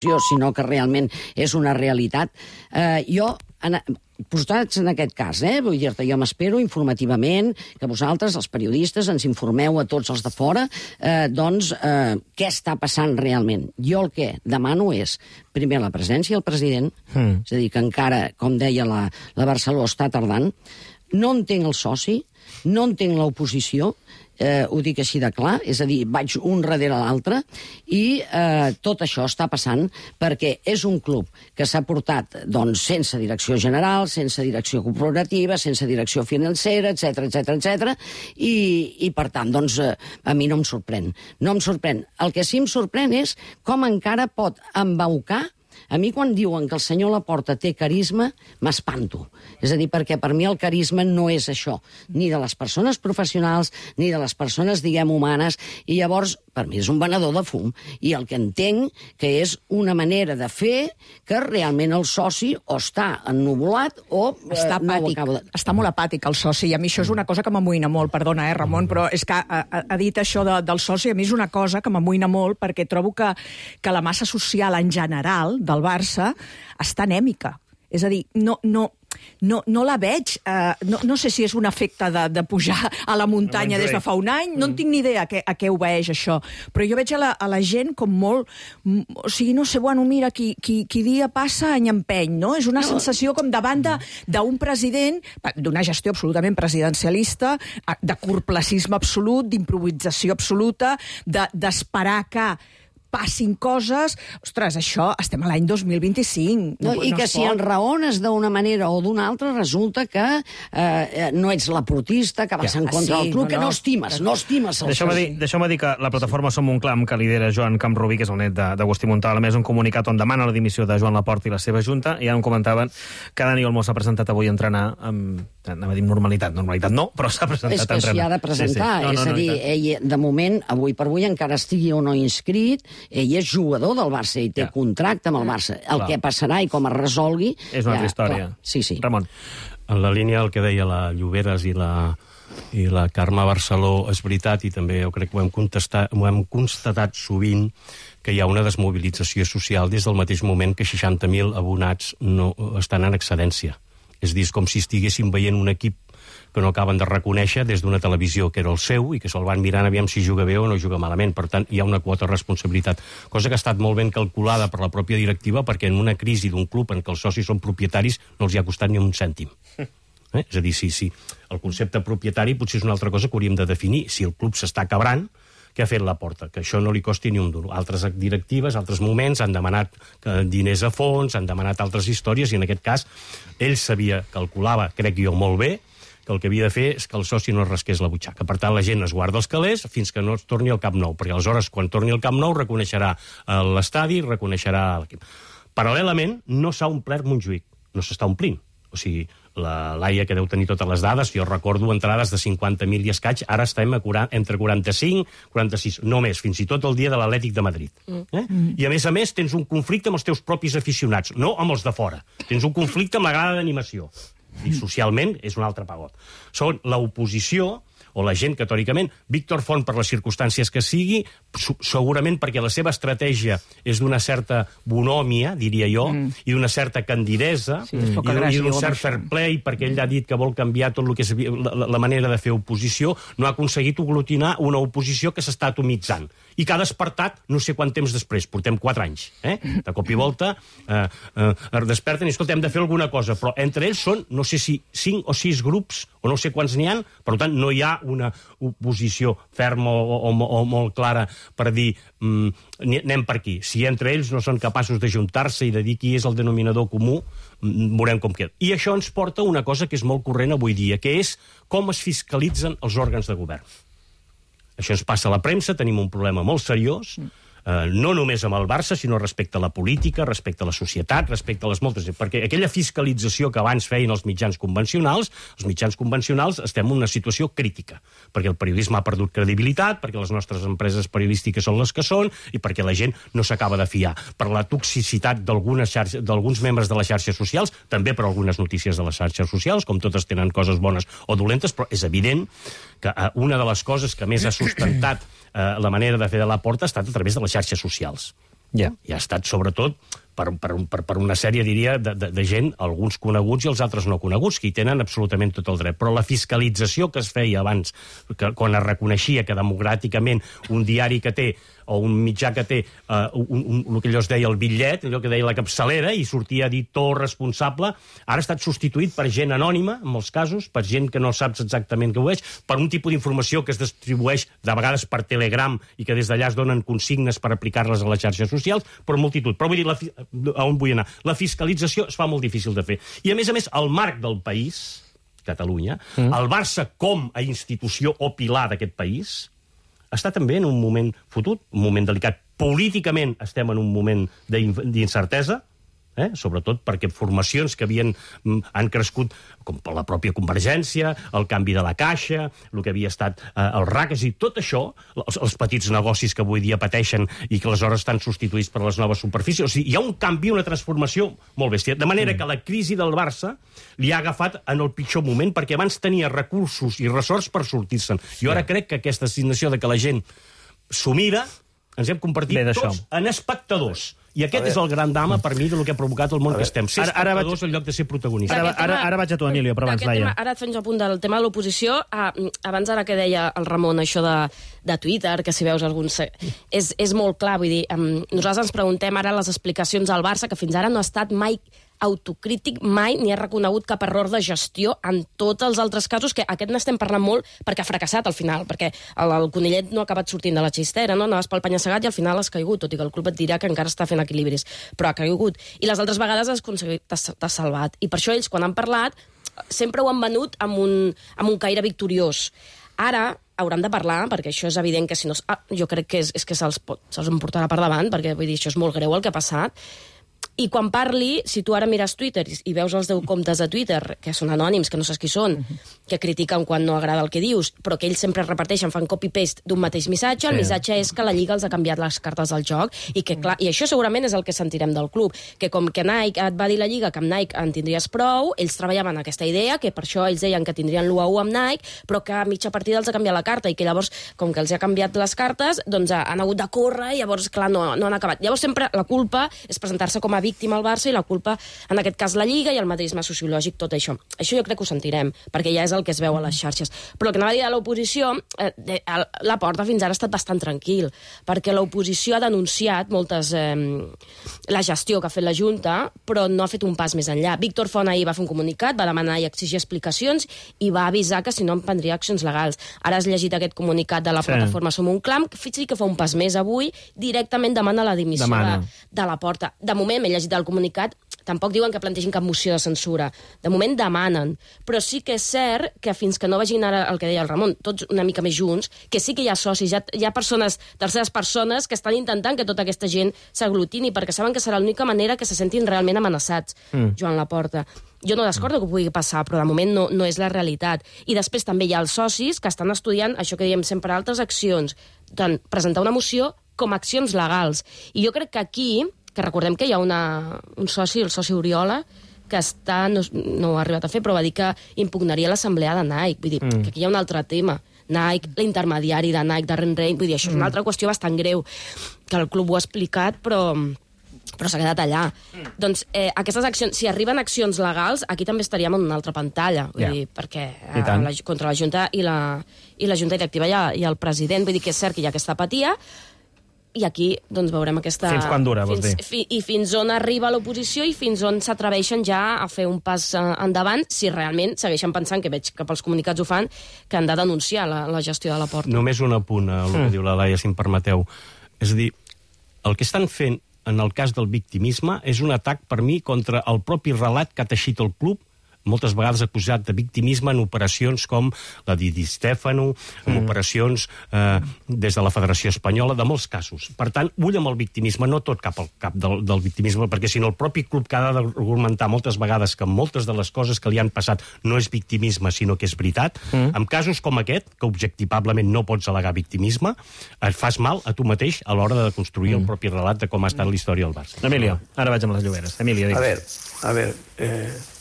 sinó que realment és una realitat. Jo, posats en aquest cas, vull dir-te, jo m'espero informativament que vosaltres, els periodistes, ens informeu a tots els de fora, doncs, què està passant realment. Jo el que demano és, primer, la presència del president, és a dir, que encara, com deia la Barceló, està tardant. No entenc el soci, no entenc l'oposició, ho dic així de clar, és a dir, vaig un darrere l'altre, i tot això està passant perquè és un club que s'ha portat doncs, sense direcció general, sense direcció corporativa, sense direcció financera, etc. I per tant, doncs, a mi no em sorprèn. No em sorprèn. El que sí em sorprèn és com encara pot embaucar. A mi, quan diuen que el senyor Laporta té carisma, m'espanto. És a dir, perquè per mi el carisma no és això, ni de les persones professionals, ni de les persones, diguem, humanes, i llavors, per mi és un venedor de fum. I el que entenc que és una manera de fer que realment el soci o està ennuvolat o està apàtic. Està molt apàtic el soci, i a mi això és una cosa que m'amoïna molt, perdona, Ramon, però és que ha dit això del soci, a mi és una cosa que m'amoïna molt perquè trobo que la massa social en general del Barça està anèmica. És a dir, no la veig, no sé si és un efecte de pujar a la muntanya des de fa un any, no en tinc ni idea a què obeeix això, però jo veig a la gent com molt, o sigui, no sé, bueno, mira, qui dia passa any empeny, no? És una sensació com davant d'un president, d'una gestió absolutament presidencialista, de corplacisme absolut, d'improvisació absoluta, d'esperar que passin coses. Ostres, això, estem a l'any 2025. I que si enraones d'una manera o d'una altra, resulta que no ets l'aportista, que vas en contra del club, que no estimes el soci. Deixeu-me dir que la plataforma Som un Clam, que lidera Joan Camprubí, que és el net d'Agustí Montal, a més un comunicat on demana la dimissió de Joan Laporta i la seva junta, i ja em comentaven que Dani Olmo s'ha presentat avui a entrenar amb, anava a dir normalitat no, però s'ha presentat a entrenar. És que s'hi ha de presentar, és a dir, ell, de moment, avui per avui, encara estigui o no inscrit, ell és jugador del Barça i té contracte amb el Barça. El que passarà i com es resolgui... És una altra història. Sí. Ramon. En la línia del que deia la Lloberes i la Carme Barceló, és veritat, i també jo crec que ho hem constatat sovint, que hi ha una desmobilització social des del mateix moment que 60.000 abonats no estan en excedència. És dir, com si estiguessin veient un equip que no acaben de reconèixer des d'una televisió que era el seu i que se'l van mirant aviam si juga bé o no juga malament. Per tant, hi ha una quota de responsabilitat. Cosa que ha estat molt ben calculada per la pròpia directiva, perquè en una crisi d'un club en què els socis són propietaris no els hi ha costat ni un cèntim. És a dir, si el concepte propietari potser és una altra cosa que hauríem de definir. Si el club s'està quebrant, què ha fet Laporta? Que això no li costi ni un duro. Altres directives, altres moments, han demanat diners a fons, han demanat altres històries, i en aquest cas ell calculava, crec jo, molt bé, que el que havia de fer és que el soci no es rasqués la butxaca. Per tant, la gent es guarda els calés fins que no es torni al Camp Nou, perquè aleshores, quan torni al Camp Nou, reconeixerà l'estadi, reconeixerà l'equip. Paral·lelament, no s'ha omplert Montjuïc, no s'està omplint. O sigui, la Laia, que deu tenir totes les dades, jo recordo entrades de 50.000 i escaig, ara estem entre 45, 46, no més, fins i tot el dia de l'Atlètic de Madrid. I a més, tens un conflicte amb els teus propis aficionats, no amb els de fora. Tens un conflicte amb la grada d'animació. I socialment és un altre pagot. Són l'oposició o la gent que, teòricament, Víctor Font, per les circumstàncies que sigui, segurament perquè la seva estratègia és d'una certa bonòmia, diria jo, i d'una certa candidesa, i d'un cert fair play, perquè ell ha dit que vol canviar tot el que és la manera de fer oposició, no ha aconseguit aglutinar una oposició que s'està atomitzant. I que ha despertat no sé quant temps després, portem 4 anys. De cop i volta desperten i, escolta, hem de fer alguna cosa, però entre ells són, no sé si 5 o 6 grups, o no sé quants n'hi ha, per tant, no hi ha una oposició ferma o molt clara per dir anem per aquí. Si entre ells no són capaços d'ajuntar-se i de dir qui és el denominador comú, veurem com queda. I això ens porta a una cosa que és molt corrent avui dia, que és com es fiscalitzen els òrgans de govern. Això ens passa a la premsa, tenim un problema molt seriós, no només amb el Barça, sinó respecte a la política, respecte a la societat, respecte a les moltes... Perquè aquella fiscalització que abans feien els mitjans convencionals estem en una situació crítica, perquè el periodisme ha perdut credibilitat, perquè les nostres empreses periodístiques són les que són, i perquè la gent no s'acaba de fiar. Per la toxicitat d'alguns membres de les xarxes socials, també per algunes notícies de les xarxes socials, com totes tenen coses bones o dolentes, però és evident que una de les coses que més ha sustentat la manera de fer de Laporta ha estat a través de les xarxes socials. Ja. I ha estat, sobretot, per una sèrie, diria, de gent, alguns coneguts i els altres no coneguts, que hi tenen absolutament tot el dret. Però la fiscalització que es feia abans, quan es reconeixia que democràticament un diari que té o un mitjà que té el que allò es deia el bitllet, allò que deia la capçalera, i sortia editor responsable, ara ha estat substituït per gent anònima, en molts casos, per gent que no saps exactament què ho és, per un tipus d'informació que es distribueix de vegades per Telegram i que des d'allà es donen consignes per aplicar-les a les xarxes socials, per multitud. Però vull dir, a on vull anar? La fiscalització es fa molt difícil de fer. I a més, el marc del país, Catalunya, el Barça com a institució o pilar d'aquest país, està també en un moment fotut, un moment delicat. Políticament estem en un moment d'incertesa, sobretot perquè formacions que han crescut, com per la pròpia Convergència, el canvi de la Caixa, el que havia estat el RAC, és a dir, tot això, els petits negocis que avui dia pateixen i que aleshores estan substituïts per les noves superfícies. O sigui, hi ha un canvi, una transformació molt bèstia. De manera que la crisi del Barça li ha agafat en el pitjor moment, perquè abans tenia recursos i ressorts per sortir-se'n. Jo ara crec que aquesta assignació de que la gent s'ho mira, ens hem convertit tots en espectadors. I aquest és el gran drama, per mi, del que ha provocat el món que estem. Ser espectadors en lloc de ser protagonistes. Ara vaig a tu, Emilio, però abans, Laia. Ara et fes un punt del tema de l'oposició. Abans, ara que deia el Ramon, això de Twitter, que si veus alguns... És molt clar, vull dir, nosaltres ens preguntem ara les explicacions al Barça, que fins ara no ha estat mai autocrític, mai ni ha reconegut cap error de gestió en tots els altres casos, que aquest n'estem parlant molt perquè ha fracassat al final, perquè el conillet no ha acabat sortint de la xistera, no? Anaves pel penya-segat i al final has caigut, tot i que el club et dirà que encara està fent equilibris, però ha caigut. I les altres vegades has aconseguit, t'has salvat. I per això ells, quan han parlat, sempre ho han venut amb un caire victoriós. Ara hauran de parlar, perquè això és evident que si no... jo crec que és que se'ls emportarà per davant, perquè vull dir, això és molt greu el que ha passat. I quan parli, si tu ara mires Twitter i veus els 10 comptes de Twitter, que són anònims, que no saps qui són, que critiquen quan no agrada el que dius, però que ells sempre repeteixen, fan copy-paste d'un mateix missatge, el missatge és que la Lliga els ha canviat les cartes del joc, i que clar, i això segurament és el que sentirem del club, que com que Nike et va dir la Lliga que amb Nike en tindries prou, ells treballaven aquesta idea, que per això ells deien que tindrien l'1-1 amb Nike, però que a mitja partida els ha canviat la carta, i que llavors, com que els ha canviat les cartes, doncs han hagut de córrer, i llavors, clar, no han acabat. Llavors sempre la culpa és presentar-se com a víctima al Barça, i la culpa, en aquest cas, la Lliga i el madridisme sociològic, tot això. Això jo crec que ho sentirem, perquè ja és el que es veu a les xarxes. Però el que anava a dir de l'oposició, la Porta fins ara ha estat bastant tranquil, perquè l'oposició ha denunciat la gestió que ha fet la Junta, però no ha fet un pas més enllà. Víctor Font ahir va fer un comunicat, va demanar i exigir explicacions, i va avisar que si no emprendria accions legals. Ara has llegit aquest comunicat de la plataforma Som un Clam, que sí que fa un pas més avui, directament demana la dimissió de la Porta. De moment, m'he llegit el comunicat, tampoc diuen que plantegin cap moció de censura. De moment demanen. Però sí que és cert que fins que no vagin ara el que deia el Ramon, tots una mica més junts, que sí que hi ha socis, hi ha persones, terceres persones, que estan intentant que tota aquesta gent s'aglutini, perquè saben que serà l'única manera que se sentin realment amenaçats, Joan Laporta. Jo no descordo que pugui passar, però de moment no és la realitat. I després també hi ha els socis que estan estudiant això que diem sempre, altres accions, tant presentar una moció com accions legals. I jo crec que aquí, que recordem que hi ha un soci, el soci Oriola, que no ho ha arribat a fer, però va dir que impugnaria l'assemblea de Nike. Vull dir, que aquí hi ha un altre tema. Nike, l'intermediari de Nike, Darren Rein, vull dir, això és una altra qüestió bastant greu, que el club ho ha explicat, però s'ha quedat allà. Doncs aquestes accions, si arriben accions legals, aquí també estaríem en una altra pantalla, vull dir, perquè contra la Junta i la Junta Directiva i el president, vull dir que és cert que hi ha aquesta apatia, i aquí doncs veurem aquesta... Fins quan dura, vols dir? I fins on arriba l'oposició i fins on s'atreveixen ja a fer un pas endavant, si realment segueixen pensant, que veig que pels comunicats ho fan, que han de denunciar la gestió de la Porta. Només un apunt a el que diu la Laia, si em permeteu. És a dir, el que estan fent en el cas del victimisme és un atac, per mi, contra el propi relat que ha teixit el club, moltes vegades acusat de victimisme en operacions com la de Di Stefano, en operacions des de la Federació Espanyola, de molts casos. Per tant, ull amb el victimisme, no tot cap al cap del victimisme, perquè si no el propi club que ha d'argumentar moltes vegades que moltes de les coses que li han passat no és victimisme, sinó que és veritat, en casos com aquest, que objectivablement no pots al·legar victimisme, et fas mal a tu mateix a l'hora de construir el propi relat de com ha estat la història del Barça. Emilio, ara vaig amb les lloberes. Emilio, digues. A ver,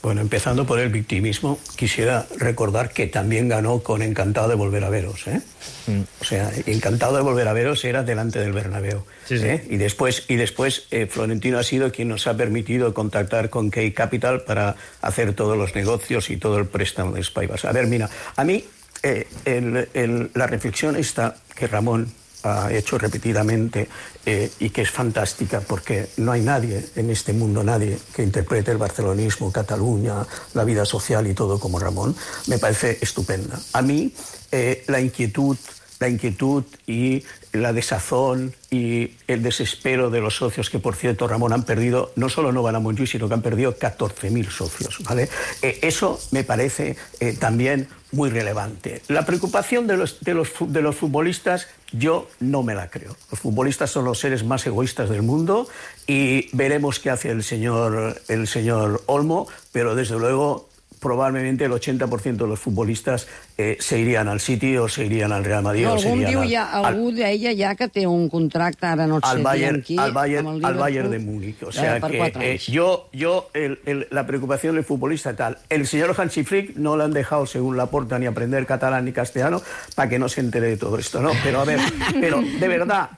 Bueno, empezando por el victimismo, quisiera recordar que también ganó con Encantado de volver a veros, ¿eh? O sea, Encantado de volver a veros era delante del Bernabéu. Sí, sí. Y después Florentino ha sido quien nos ha permitido contactar con Key Capital para hacer todos los negocios y todo el préstamo de Spivas. A ver, mira, a mí la reflexión esta que Ramón ha hecho repetidamente y que es fantástica, porque no hay nadie en este mundo, nadie que interprete el barcelonismo, Cataluña, la vida social y todo como Ramón, me parece estupenda. A mí la inquietud y la desazón y el desespero de los socios, que por cierto, Ramón, han perdido, no solo no van a Montjuïc, sino que han perdido 14.000 socios, ¿vale? Eso me parece también muy relevante. La preocupación de los futbolistas, yo no me la creo. Los futbolistas son los seres más egoístas del mundo y veremos qué hace el señor Olmo, pero desde luego probablement el 80% de los futbolistes se irían al City o se irían al Real Madrid. No, algú deia ja que té un contracte, ara no et sé Bayern, qui, al Bayern de Múnich. O sea que la preocupación del futbolista tal. El señor Hansi Flick no le han dejado, según Laporta, ni aprender catalán ni castellano para que no se entere de todo esto, ¿no? Pero a ver, pero de verdad,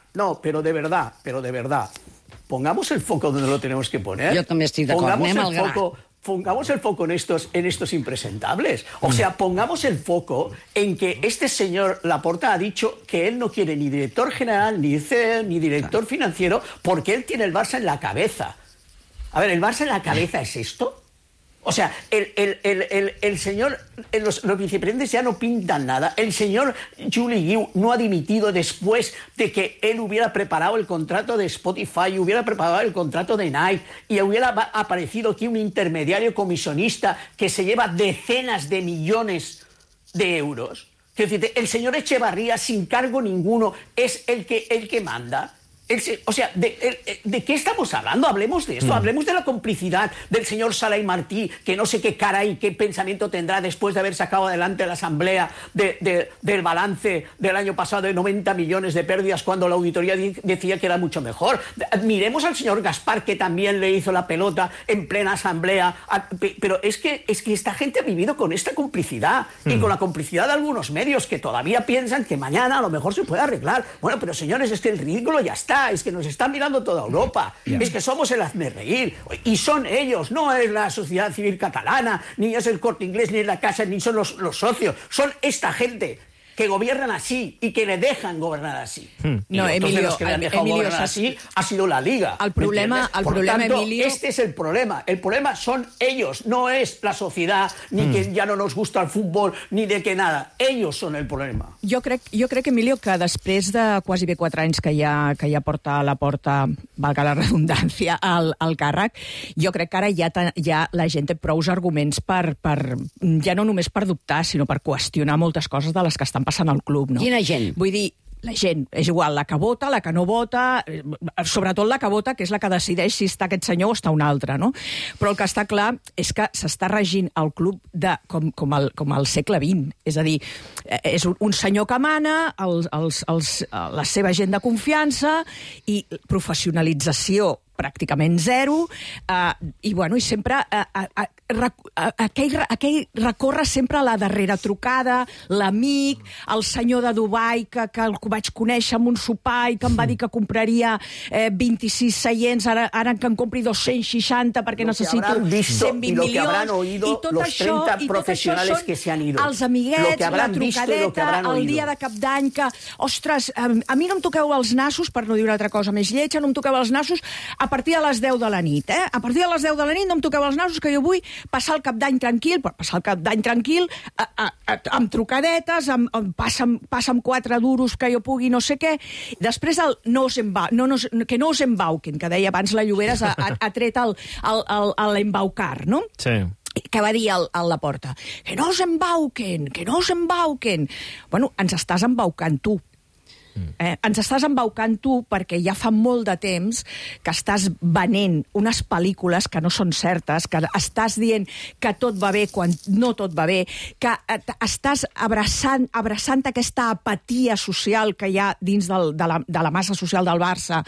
pongamos el foco donde lo tenemos que poner. Yo también estoy de acuerdo. Pongamos el foco en estos impresentables. O sea, pongamos el foco en que este señor Laporta ha dicho que él no quiere ni director general, ni CEO, ni director financiero, porque él tiene el Barça en la cabeza. A ver, ¿el Barça en la cabeza es esto? O sea, el señor, los vicepresidentes ya no pintan nada. El señor Juli Guiu no ha dimitido después de que él hubiera preparado el contrato de Spotify, hubiera preparado el contrato de Nike y hubiera aparecido aquí un intermediario comisionista que se lleva decenas de millones de euros. Quiero decirte, el señor Echevarría, sin cargo ninguno, es el que manda. O sea, ¿de qué estamos hablando? Hablemos de esto, hablemos de la complicidad del señor Sala y Martí, que no sé qué cara y qué pensamiento tendrá después de haber sacado adelante la asamblea del balance del año pasado de 90 millones de pérdidas cuando la auditoría decía que era mucho mejor. Miremos al señor Gaspar, que también le hizo la pelota en plena asamblea. Pero es que esta gente ha vivido con esta complicidad y con la complicidad de algunos medios que todavía piensan que mañana a lo mejor se puede arreglar. Bueno, pero señores, es que el ridículo ya está. Es que nos está mirando toda Europa, es que somos el hazmerreír, y son ellos, no es la sociedad civil catalana, ni es el Corte Inglés, ni es la Casa, ni son los socios, son esta gente que gobiernan así y que le dejan gobernar así. No, Emilio, los que le han dejado gobernar así ha sido la Liga. Por tanto, Emilio... este es el problema. El problema son ellos, no es la sociedad, ni que ja no nos gusta el futbol, ni de que nada. Ellos són el problema. Jo crec, Emilio, que després de quasi bé 4 anys que ja porta a la porta, valga la redundància, al càrrec, jo crec que ara ja la gent té prous arguments per ja no només per dubtar, sinó per qüestionar moltes coses de les que estan passant al club, no? Quina gent? Vull dir, la gent, és igual, la que vota, la que no vota, sobretot la que vota, que és la que decideix si està aquest senyor o està un altre, no? Però el que està clar és que s'està regint el club com al segle XX. És a dir, és un senyor que mana, la seva gent de confiança i professionalització pràcticament zero, i sempre aquell recorre sempre a la darrera trucada, l'amic, el senyor de Dubai que el vaig conèixer amb un sopar i que em va dir que compraria 26 seients, ara que en compri 260 perquè necessito 120 milions, i tot això els amiguets, la trucadeta, el dia de cap d'any que, ostres, a mi no em toqueu els nassos, per no dir una altra cosa més lletja, no em toqueu els nassos a partir de les 10 de la nit, A partir de les 10 de la nit no em toqueu els nassos, que jo vull passar el cap d'any tranquil, amb trucadetes, passa'm 4 duros que jo pugui no sé què. Després que no us embauquen, que deia abans la Lloberes, ha tret l'embaucar, no? Sí. Que va dir a Laporta, que no us embauquen. Bueno, ens estàs embaucant tu. Ens estàs embaucant tu perquè ja fa molt de temps que estàs venent unes pel·lícules que no són certes, que estàs dient que tot va bé quan no tot va bé, que estàs abraçant aquesta apatia social que hi ha dins de la massa social del Barça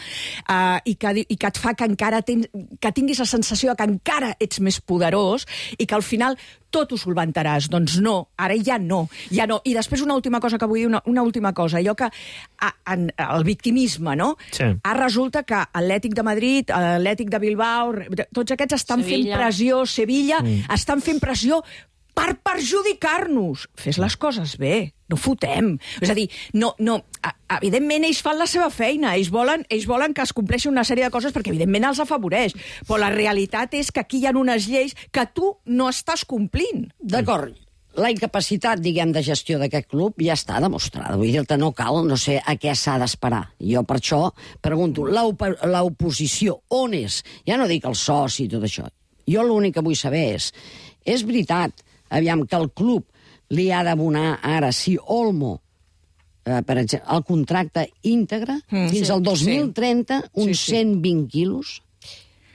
i que et fa que encara que tinguis la sensació que encara ets més poderós i que al final tot ho solventaràs. Doncs no, ara ja no. I després una última cosa que vull dir, una última cosa. Allò que el victimisme, no? Sí. Ara resulta que Atlètic de Madrid, Atlètic de Bilbao, tots aquests estan fent pressió, Sevilla, estan fent pressió per perjudicar-nos. Fes les coses bé, no fotem. És a dir, evidentment ells fan la seva feina, ells volen que es compleixi una sèrie de coses perquè evidentment els afavoreix, però la realitat és que aquí hi ha unes lleis que tu no estàs complint. D'acord, la incapacitat, diguem, de gestió d'aquest club ja està demostrada. Vull dir-te, no cal, no sé a què s'ha d'esperar. Jo per això pregunto, l'oposició, on és? Ja no dic el soci i tot això. Jo l'únic que vull saber és veritat, aviam, que el club li ha d'abonar ara, si Olmo, per exemple, el contracte íntegre, fins al 2030, uns 120 quilos?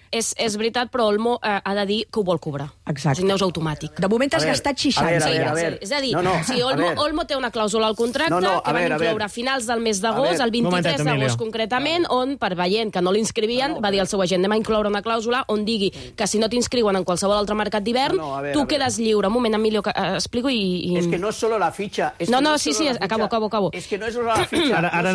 És veritat, però Olmo ha de dir que ho vol cobrar. Exacte. Si no és automàtic. De moment has gastat 60. A ver. És a dir, si Olmo té una clàusula al contracte que van incloure a finals del mes d'agost, el 23 d'agost concretament, on, per veient que no l'inscrivien, va dir al seu agent, anem a incloure una clàusula on digui que si no t'inscriuen en qualsevol altre mercat d'hivern, tu quedes lliure. Un moment, Emilio, que explico i... És que no és solo la fitxa. Acabo. És que no és solo la fitxa. Ara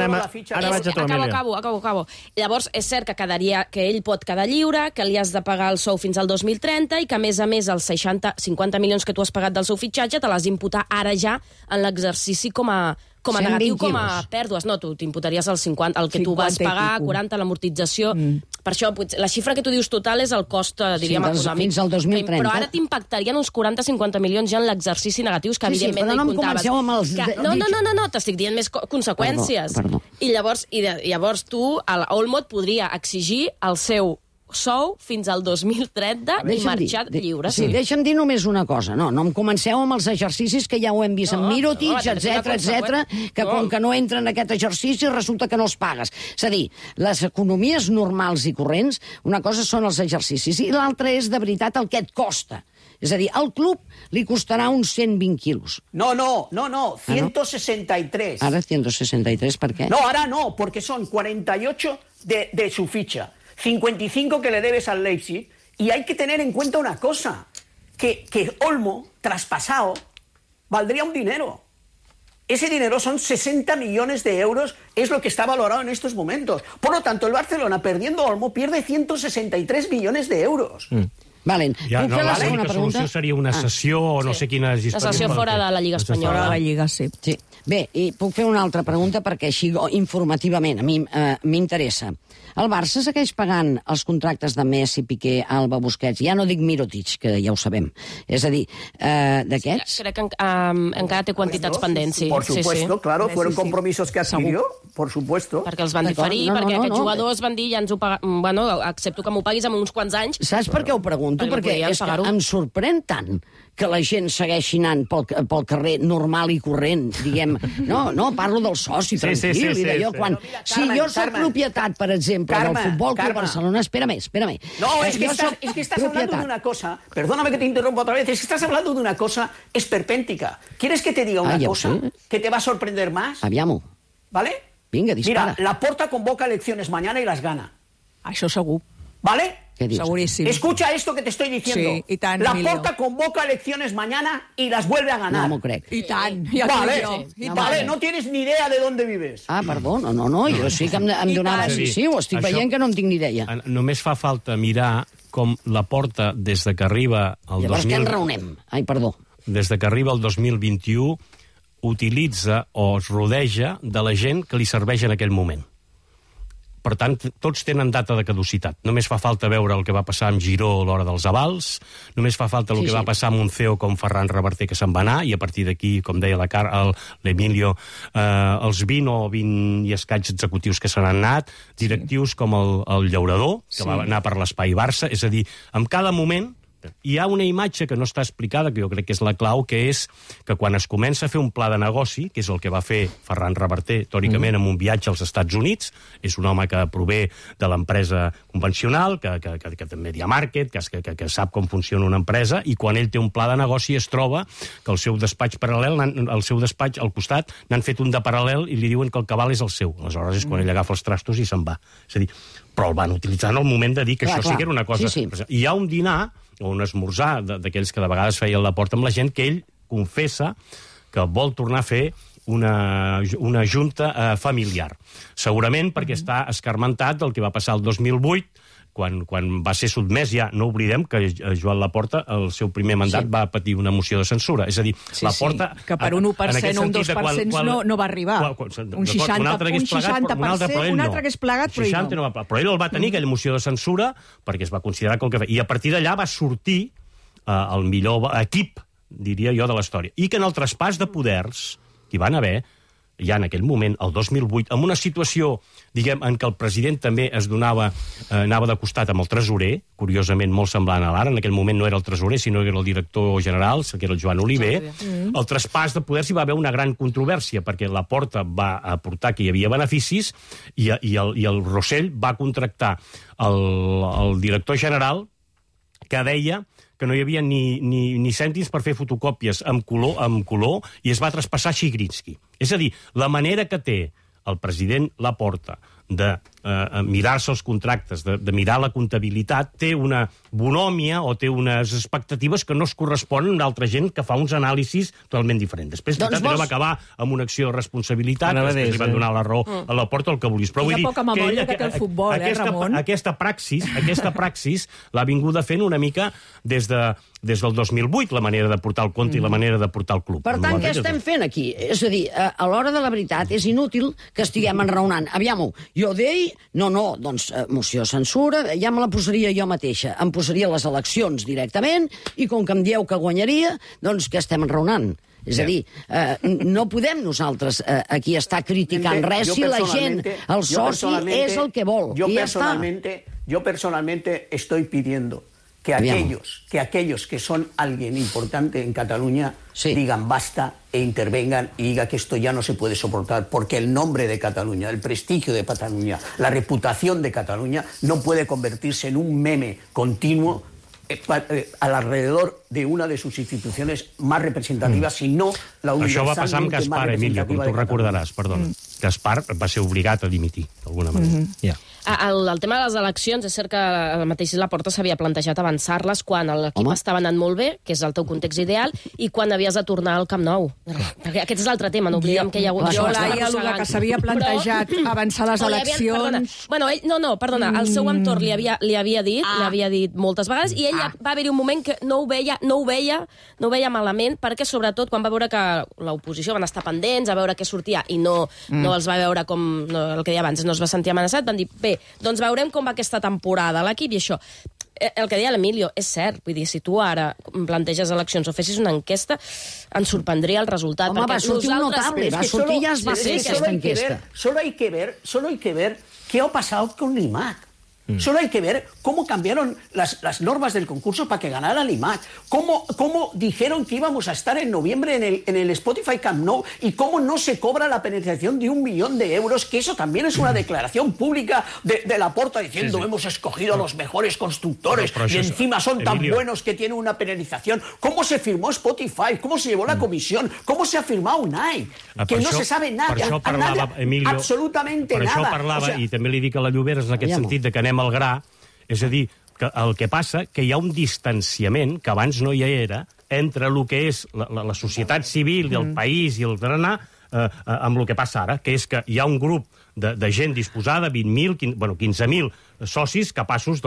vaig a tu, Emilio. Acabo. Llavors, és cert que ell pot quedar lliure, que li has de pagar el sou fins al 2030 i que, a més, els 50 milions que tu has pagat del seu fitxatge te l'has d'imputar ara ja en l'exercici com a negatiu, com a pèrdues. No, tu t'imputaries el 50, el que tu vas pagar, 40, l'amortització. Per això, la xifra que tu dius total és el cost, diríem, econòmic. Fins al 2030. Però ara t'impactarien uns 40-50 milions ja en l'exercici negatius, que evidentment però no hi comptaves. Comenceu amb els... No, t'estic dient més conseqüències. Perdó. I llavors tu, Olmo, et podria exigir el seu sou fins al 2030 i marxar lliure. Sí, deixa'm dir només una cosa. No em comenceu amb els exercicis que ja ho hem vist amb Mirotic, etc, que com que no entren en aquest exercici resulta que no els pagues. És a dir, les economies normals i corrents, una cosa són els exercicis i l'altra és de veritat el que et costa. És a dir, al club li costarà uns 120 quilos. No, 163. Ara 163, per què? No, ahora no, porque son 48 de su ficha. 55 que le debes al Leipzig, y hay que tener en cuenta una cosa, que Olmo, traspasado, valdría un dinero. Ese dinero son 60 millones de euros, es lo que está valorado en estos momentos. Por lo tanto, el Barcelona, perdiendo Olmo, pierde 163 millones de euros. Valen. Ja, no, l'única solució seria una sessió o no sé quina... La sessió fora de la Lliga Espanyola. Fora de la Lliga, sí. Bé, i puc fer una altra pregunta perquè així informativament a mi m'interessa. El Barça segueix pagant els contractes de Messi, Piqué, Alba, Busquets, ja no dic Mirotic, que ja ho sabem. És a dir, d'aquests... Crec que encara té quantitats pendents, sí. Por supuesto, claro, fueron compromisos que adquirió, por supuesto. Perquè els van diferir, perquè aquests jugadors van dir, ja ens ho paguem, bueno, accepto que m'ho paguis en uns quants anys. Saps per què ho pregunto? Perquè és que em sorprèn tant que la gent segueixi anant pel carrer normal i corrent, diguem. No, parlo del soci, tranquil, i d'allò quan... Si jo soc propietat, per exemple, del Futbol Club Barcelona... Espérame. No, es que estás hablando de una cosa... Perdóname que te interrumpa otra vez. Es que estás hablando de una cosa esperpéntica. ¿Quieres que te diga una cosa que te va a sorprender más? Aviam-ho. ¿Vale? Vinga, dispara. Mira, Laporta convoca elecciones mañana y las gana. Això segur. ¿Vale? ¿Qué dices? Segurísimo. Escucha esto que te estoy diciendo. Sí, i tant, Laporta convoca elecciones mañana y las vuelve a ganar. No m'ho crec. I tant. Ja Vale, vale, no tienes ni idea de dónde vives. Ah, perdó, no, jo sí que em donava... Sí, ho estic veient que no en tinc ni idea. Només fa falta mirar com Laporta, des de que arriba el Llavors què en raonem? Ai, perdó. Des de que arriba el 2021, utilitza o es rodeja de la gent que li serveix en aquell moment. Per tant, tots tenen data de caducitat. Només fa falta veure el que va passar amb Giró a l'hora dels avals, només fa falta el que va passar amb un CEO com Ferran Reverter, que se'n va anar, i a partir d'aquí, com deia l'Emilio, els 20 o 20 i escaig executius que se n'han anat, directius com el Llaurador, que va anar per l'espai Barça, és a dir, en cada moment Hi ha una imatge que no està explicada, que jo crec que és la clau, que és que quan es comença a fer un pla de negoci, que és el que va fer Ferran Reverter, teòricament, amb un viatge als Estats Units, és un home que prové de l'empresa convencional, que també hi ha market, que sap com funciona una empresa, i quan ell té un pla de negoci es troba que el seu despatx paral·lel, el seu despatx al costat, n'han fet un de paral·lel i li diuen que el cabal és el seu. Aleshores és quan ell agafa els trastos i se'n va. És a dir, però el van utilitzar en el moment de dir que això sí que era una cosa... Sí. Hi ha un dinar o un esmorzar d'aquells que de vegades feien la porta amb la gent, que ell confessa que vol tornar a fer una junta familiar. Segurament perquè està escarmentat del que va passar el 2008, quan va ser sotmès, ja no oblidem que Joan Laporta, el seu primer mandat, va patir una moció de censura. És a dir, Laporta... Que per un 1% o un 2% no va arribar. Un 60%, un altre hagués plegat, però ell no. Però ell el va tenir, aquella moció de censura, perquè es va considerar que el que feia. I a partir d'allà va sortir el millor equip, diria jo, de la història. I que en el traspàs de poders que hi van haver, ja en aquell moment, el 2008, en una situació, diguem, en què el president també anava de costat amb el tresorer, curiosament molt semblant a l'ara, en aquell moment no era el tresorer, sinó que era el director general, que era el Joan Oliver, el traspàs de poders hi va haver una gran controvèrsia, perquè Laporta va aportar que hi havia beneficis i el Rossell va contractar el director general, que deia que no hi havia ni cèntims per fer fotocòpies amb color i es va traspassar a Chigrinsky. És a dir, la manera que té el president Laporta de mirar-se els contractes, de mirar la comptabilitat, té una bonòmia o té unes expectatives que no es corresponen a altra gent que fa uns anàlisis totalment diferents. Després, va acabar amb una acció de responsabilitat, després li van donar la raó a Laporta, el que vulguis. Però vull dir poca memòria que té el futbol, Ramon? Aquesta praxis l'ha vinguda fent una mica des del 2008, la manera de portar el compte i la manera de portar el club. Per tant, què estem fent aquí? És a dir, a l'hora de la veritat és inútil que estiguem enraonant. Aviam-ho, jo deia, doncs moció censura, ja me la posaria jo mateixa. Em posaria les eleccions directament i com que em dieu que guanyaria, doncs que estem enraonant. És a dir, no podem nosaltres aquí estar criticant res si la gent, el soci, és el que vol. Yo personalmente estoy pidiendo que aquellos que son alguien importante en Cataluña digan basta e intervengan y digan que esto ya no se puede soportar, porque el nombre de Cataluña, el prestigio de Cataluña, la reputación de Cataluña no puede convertirse en un meme continuo alrededor de una de sus instituciones más representativas, sino la universalmente más representativa. Això va passar amb Gaspar, Emilio, com tu recordaràs, perdona. Gaspar va ser obligat a dimitir, d'alguna manera. El tema de les eleccions, és cert que el mateix Laporta s'havia plantejat avançar-les quan l'equip estava anant molt bé, que és el teu context ideal, i quan havies de tornar al Camp Nou. Perquè aquest és l'altre tema, no oblidem que hi ha hagut... Jo, Laia, el que s'havia plantejat avançar les eleccions... Bueno, perdona, el seu entorn li havia dit moltes vegades, i ell va haver-hi un moment que no ho veia malament, perquè sobretot quan va veure que l'oposició van estar pendents a veure què sortia i no els va veure com el que deia abans, no es va sentir amenaçat, van dir, bé, doncs veurem com va aquesta temporada l'equip i això. El que deia l'Emilio és cert, vull dir, si tu ara planteges eleccions o fessis una enquesta, ens sorprendria el resultat. Home, va sortir un notable, va sortir ja es va fer aquesta enquesta. Solo hay que ver qué ha pasado con l'IMAC. Solo hay que ver cómo cambiaron las normas del concurso para que ganara el IMAC, cómo dijeron que íbamos a estar en noviembre en el Spotify Camp Nou y cómo no se cobra la penetración de 1 millón de euros, que eso también es una declaración pública de Laporta diciendo hemos escogido a los mejores constructores y encima son tan buenos que tienen una penalización. ¿Cómo se firmó Spotify? ¿Cómo se llevó la comisión? ¿Cómo se ha firmado UNAI? Que no se sabe nada, absolutamente nada. Per això parlava, i també li dic a la Lloberes en aquest sentit, que anem al gra, és a dir, que el que passa que hi ha un distanciament, que abans no hi era, entre el que és la societat civil i el país i el berenar amb el que passa ara, que és que hi ha un grup de gent disposada, 20.000, 15.000 socis capaços,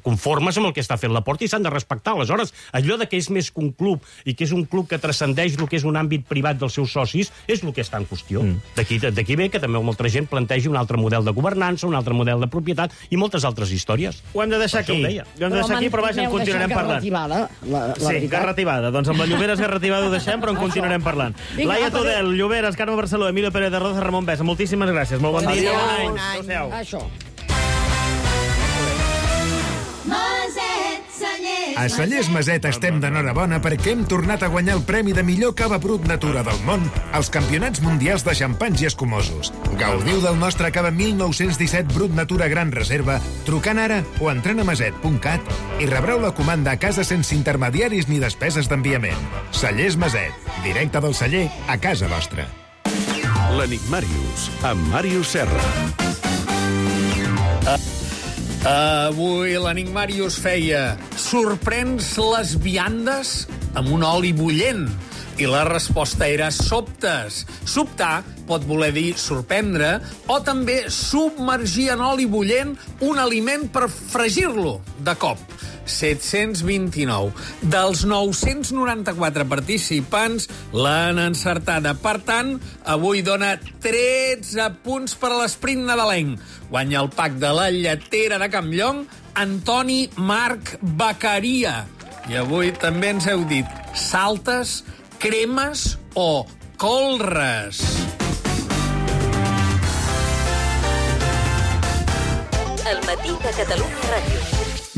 conformes amb el que està fent Laporta i s'han de respectar. Aleshores, allò de que és més que un club i que és un club que transcendeix el que és un àmbit privat dels seus socis és el que està en qüestió. D'aquí ve que també molta gent plantegi un altre model de governança, un altre model de propietat i moltes altres històries. Ho hem de deixar aquí. Però vaja, en continuarem parlant. Sí, garrativada. Doncs amb la Lloberes garrativada ho deixem, però en continuarem parlant. Laia Tudel, Lloberes, Carme Barceló, Emilio Pérez de Roza, Ramon Besa, moltíssimes gràcies. Molt bon dia. Bon any. Això. Mozart, A Cellers Maset estem d'enhorabona perquè hem tornat a guanyar el premi de millor cava brut natura del món als Campionats Mundials de Xampanys i Escumosos. Gaudiu del nostre cava 1917 brut natura gran reserva trucant ara o entrant a maset.cat i rebreu la comanda a casa sense intermediaris ni despeses d'enviament. Cellers Maset, directe del celler a casa vostra. L'Enigmàrius, amb Màrius Serra. Avui l'Enigmàrius feia: sorprens les viandes amb un oli bullent? I la resposta era sobtes. Sobtar pot voler dir sorprendre o també submergir en oli bullent un aliment per fregir-lo de cop. 729. Dels 994 participants l'han encertada. Per tant, avui dona 13 punts per a l'esprint nadalenc. Guanya el pack de la lletera de Campllong Antoni Marc Beccaria. I avui també ens heu dit saltes, cremes o colres. El matí de Catalunya Ràdio.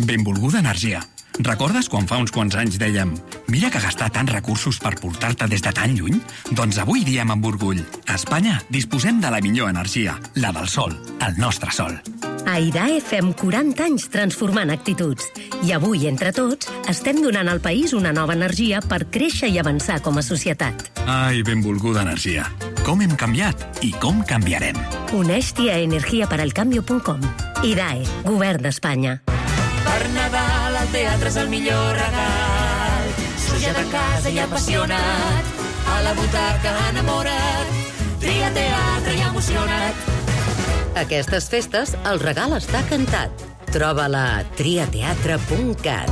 Benvolguda energia. Recordes quan fa uns quants anys dèiem mira que gastar tants recursos per portar-te des de tan lluny? Doncs avui diem amb orgull a Espanya disposem de la millor energia, la del sol, el nostre sol. A IDAE fem 40 anys transformant actituds. I avui, entre tots, estem donant al país una nova energia per créixer i avançar com a societat. Ai, benvolguda energia. Com hem canviat i com canviarem. Uneix-t'hi a energiaparalcambio.com. IDAE, Govern d'Espanya. Per Nadal el teatre és el millor regal. Sujat a casa i apassionat, a la butaca enamorat, tria teatre i emocionat. Aquestes festes el regal està cantat. Troba-la a triateatre.cat.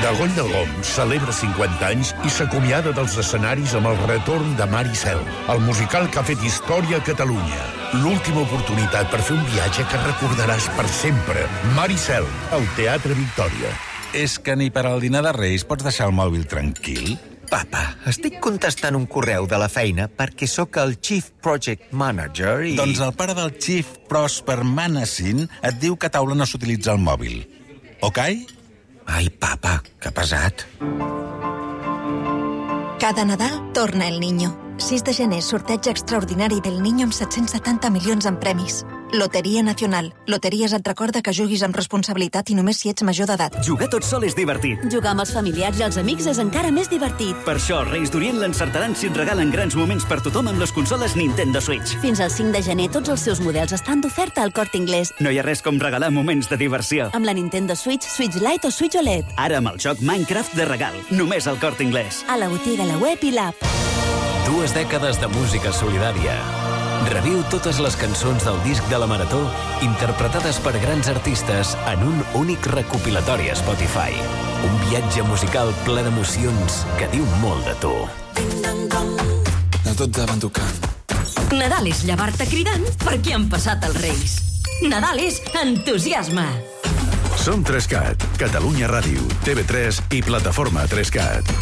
Dagoll de l'Om celebra 50 anys i s'acomiada dels escenaris amb el retorn de Mar i Cel, el musical que ha fet història a Catalunya. L'última oportunitat per fer un viatge que recordaràs per sempre. Mar i Cel, al Teatre Victòria. És que ni per al dinar de Reis pots deixar el mòbil tranquil? Papa, estic contestant un correu de la feina perquè sóc el Chief Project Manager i... Doncs el pare del Chief Prosper Manassin et diu que a taula no s'utilitza el mòbil. Ok? Ai, papa, que pesat. Cada Nadal torna el Niño. 6 de gener, sorteig extraordinari del Niño amb 770 milions en premis. Loteria Nacional. Loteries et recorda que juguis amb responsabilitat i només si ets major d'edat. Jugar tot sol és divertit. Jugar amb els familiars i els amics és encara més divertit. Per això els Reis d'Orient l'encertaran si et regalen grans moments per tothom amb les consoles Nintendo Switch. Fins al 5 de gener tots els seus models estan d'oferta al Corte Inglés. No hi ha res com regalar moments de diversió. Amb la Nintendo Switch, Switch Lite o Switch OLED. Ara amb el joc Minecraft de regal. Només al Corte Inglés. A la botiga, la web i l'app. 2 dècades de música solidària. Reviu totes les cançons del disc de la Marató interpretades per grans artistes en un únic recopilatori a Spotify. Un viatge musical ple d'emocions que diu molt de tu. A tots davant tocant. Nadal és llevar-te cridant perquè han passat els Reis. Nadal és entusiasme. Som 3CAT, Catalunya Ràdio, TV3 i Plataforma 3CAT.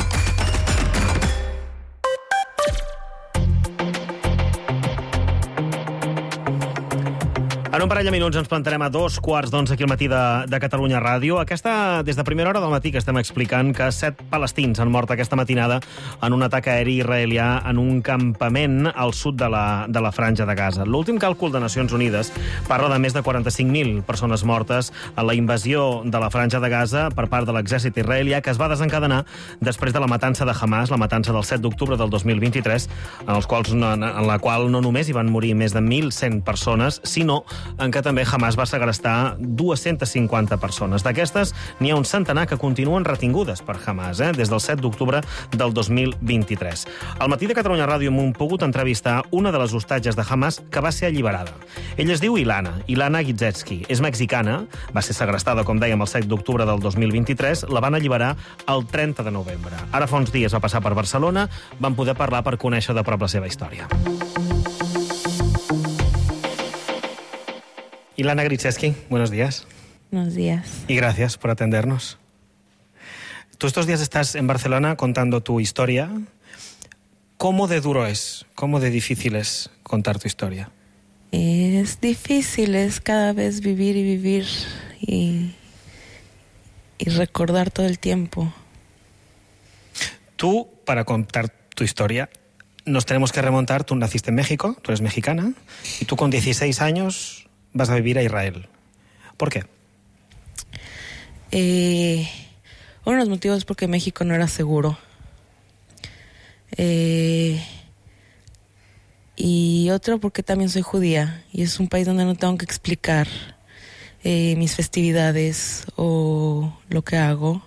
En un parell de minuts ens plantarem a 2:15 aquí al matí de Catalunya Ràdio. Aquesta, des de primera hora del matí que estem explicant que 7 palestins han mort aquesta matinada en un atac aeri israelià en un campament al sud de la Franja de Gaza. L'últim càlcul de Nacions Unides parla de més de 45.000 persones mortes en la invasió de la Franja de Gaza per part de l'exèrcit israelià que es va desencadenar després de la matança de Hamas, la matança del 7 d'octubre del 2023, en la qual no només hi van morir més de 1.100 persones, sinó en què també Hamas va segrestar 250 persones. D'aquestes, n'hi ha un centenar que continuen retingudes per Hamas, des del 7 d'octubre del 2023. Al matí de Catalunya Ràdio hem pogut entrevistar una de les hostatges de Hamas que va ser alliberada. Ella es diu Ilana Gizetski. És mexicana, va ser segrestada, com dèiem, el 7 d'octubre del 2023, la van alliberar el 30 de novembre. Ara fa uns dies va passar per Barcelona, van poder parlar per conèixer de prop la seva història. Ilana Gizetski, buenos días. Buenos días. Y gracias por atendernos. Tú estos días estás en Barcelona contando tu historia. ¿Cómo de duro es? ¿Cómo de difícil es contar tu historia? Es difícil, es cada vez vivir y recordar todo el tiempo. Tú, para contar tu historia, nos tenemos que remontar. Tú naciste en México, tú eres mexicana, y tú con 16 años vas a vivir a Israel. ¿Por qué? Uno de los motivos es porque México no era seguro. Y otro porque también soy judía y es un país donde no tengo que explicar mis festividades o lo que hago.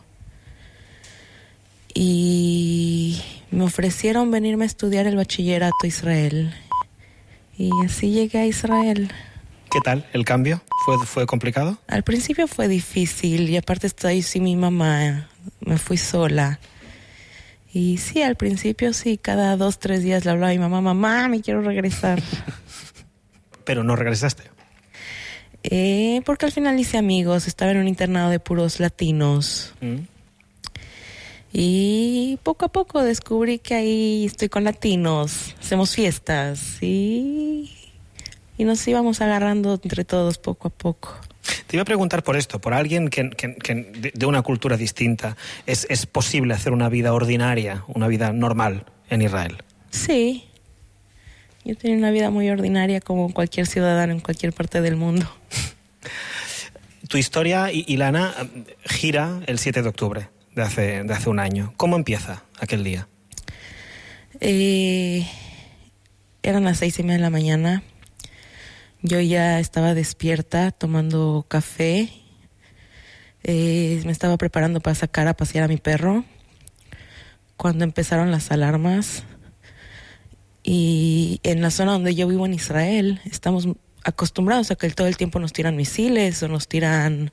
Y me ofrecieron venirme a estudiar el bachillerato a Israel y así llegué a Israel. ¿Qué tal el cambio? ¿Fue complicado? Al principio fue difícil y aparte estoy sin mi mamá, me fui sola. Y sí, al principio sí, cada 2-3 días le hablaba a mi mamá, mamá, me quiero regresar. ¿Pero no regresaste? Porque al final hice amigos, estaba en un internado de puros latinos. Y poco a poco descubrí que ahí estoy con latinos, hacemos fiestas y nos íbamos agarrando entre todos poco a poco. Te iba a preguntar por esto, por alguien que de una cultura distinta, ¿es posible hacer una vida ordinaria, una vida normal en Israel? Sí, yo tenía una vida muy ordinaria como cualquier ciudadano en cualquier parte del mundo. Tu historia, Ilana, gira el 7 de octubre de hace un año. ¿Cómo empieza aquel día? Eran las 6:30 de la mañana. Yo ya estaba despierta tomando café. Me estaba preparando para sacar a pasear a mi perro cuando empezaron las alarmas. Y en la zona donde yo vivo en Israel estamos acostumbrados a que todo el tiempo nos tiran misiles o nos tiran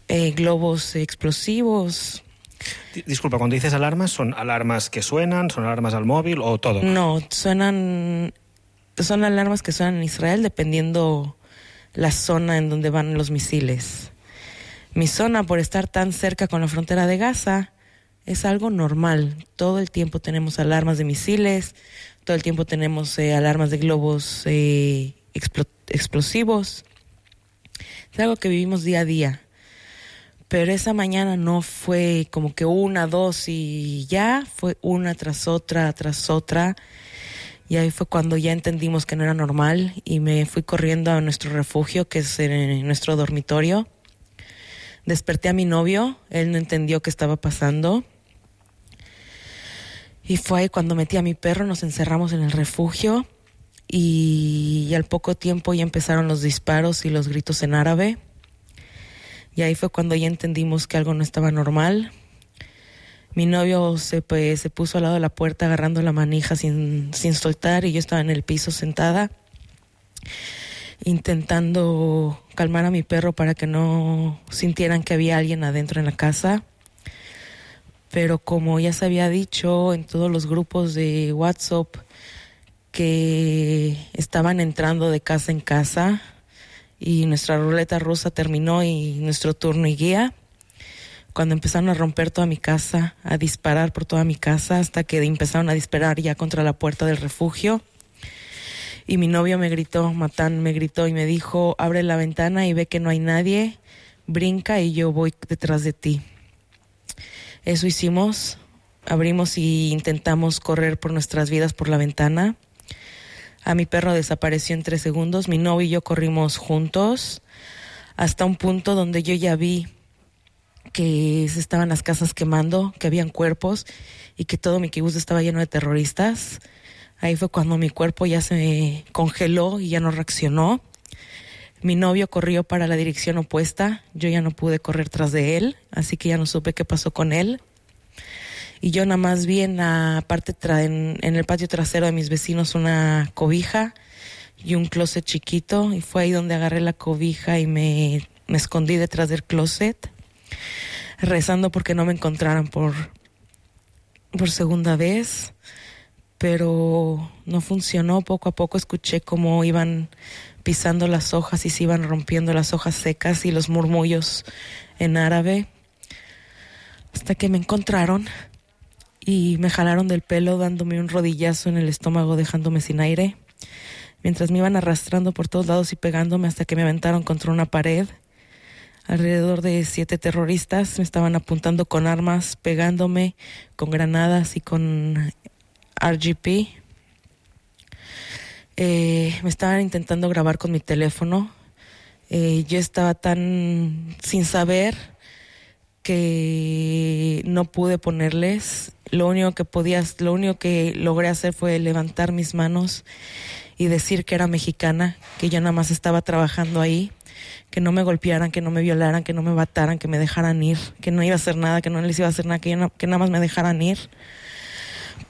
globos explosivos. Disculpa, cuando dices alarmas, ¿son alarmas que suenan, son alarmas al móvil o todo? No, son alarmas que suenan en Israel dependiendo la zona en donde van los misiles. Mi zona, por estar tan cerca con la frontera de Gaza, es algo normal. Todo el tiempo tenemos alarmas de misiles, todo el tiempo tenemos alarmas de globos explosivos. Es algo que vivimos día a día. Pero esa mañana no fue como que 1, 2 y ya, fue una tras otra, tras otra. Y ahí fue cuando ya entendimos que no era normal y me fui corriendo a nuestro refugio, que es nuestro dormitorio. Desperté a mi novio, él no entendió qué estaba pasando. Y fue ahí cuando metí a mi perro, nos encerramos en el refugio y al poco tiempo ya empezaron los disparos y los gritos en árabe. Y ahí fue cuando ya entendimos que algo no estaba normal. Mi novio se puso al lado de la puerta agarrando la manija sin soltar y yo estaba en el piso sentada intentando calmar a mi perro para que no sintieran que había alguien adentro en la casa. Pero como ya se había dicho en todos los grupos de WhatsApp que estaban entrando de casa en casa y nuestra ruleta rusa terminó y nuestro turno y guía, cuando empezaron a romper toda mi casa, a disparar por toda mi casa, hasta que empezaron a disparar ya contra la puerta del refugio. Y mi novio me gritó, Matán me gritó y me dijo, abre la ventana y ve que no hay nadie, brinca y yo voy detrás de ti. Eso hicimos, abrimos y intentamos correr por nuestras vidas por la ventana. A mi perro desapareció en 3 segundos, mi novio y yo corrimos juntos hasta un punto donde yo ya vi que se estaban las casas quemando, que habían cuerpos y que todo mi kibutz estaba lleno de terroristas. Ahí fue cuando mi cuerpo ya se congeló y ya no reaccionó. Mi novio corrió para la dirección opuesta, yo ya no pude correr tras de él, así que ya no supe qué pasó con él. Y yo nada más vi en la parte en el patio trasero de mis vecinos una cobija y un closet chiquito, y fue ahí donde agarré la cobija y me escondí detrás del closet, rezando porque no me encontraran por segunda vez, pero no funcionó. Poco a poco escuché cómo iban pisando las hojas y se iban rompiendo las hojas secas y los murmullos en árabe, hasta que me encontraron y me jalaron del pelo dándome un rodillazo en el estómago, dejándome sin aire, mientras me iban arrastrando por todos lados y pegándome hasta que me aventaron contra una pared. alrededor de 7 terroristas. Me estaban apuntando con armas, pegándome con granadas y con RGP. Me estaban intentando grabar con mi teléfono. Yo estaba tan sin saber que no pude ponerles. Lo único que logré hacer fue levantar mis manos y decir que era mexicana, que yo nada más estaba trabajando ahí, que no me golpearan, que no me violaran, que no me mataran, que me dejaran ir, que no iba a hacer nada, que no les iba a hacer nada, que nada más me dejaran ir.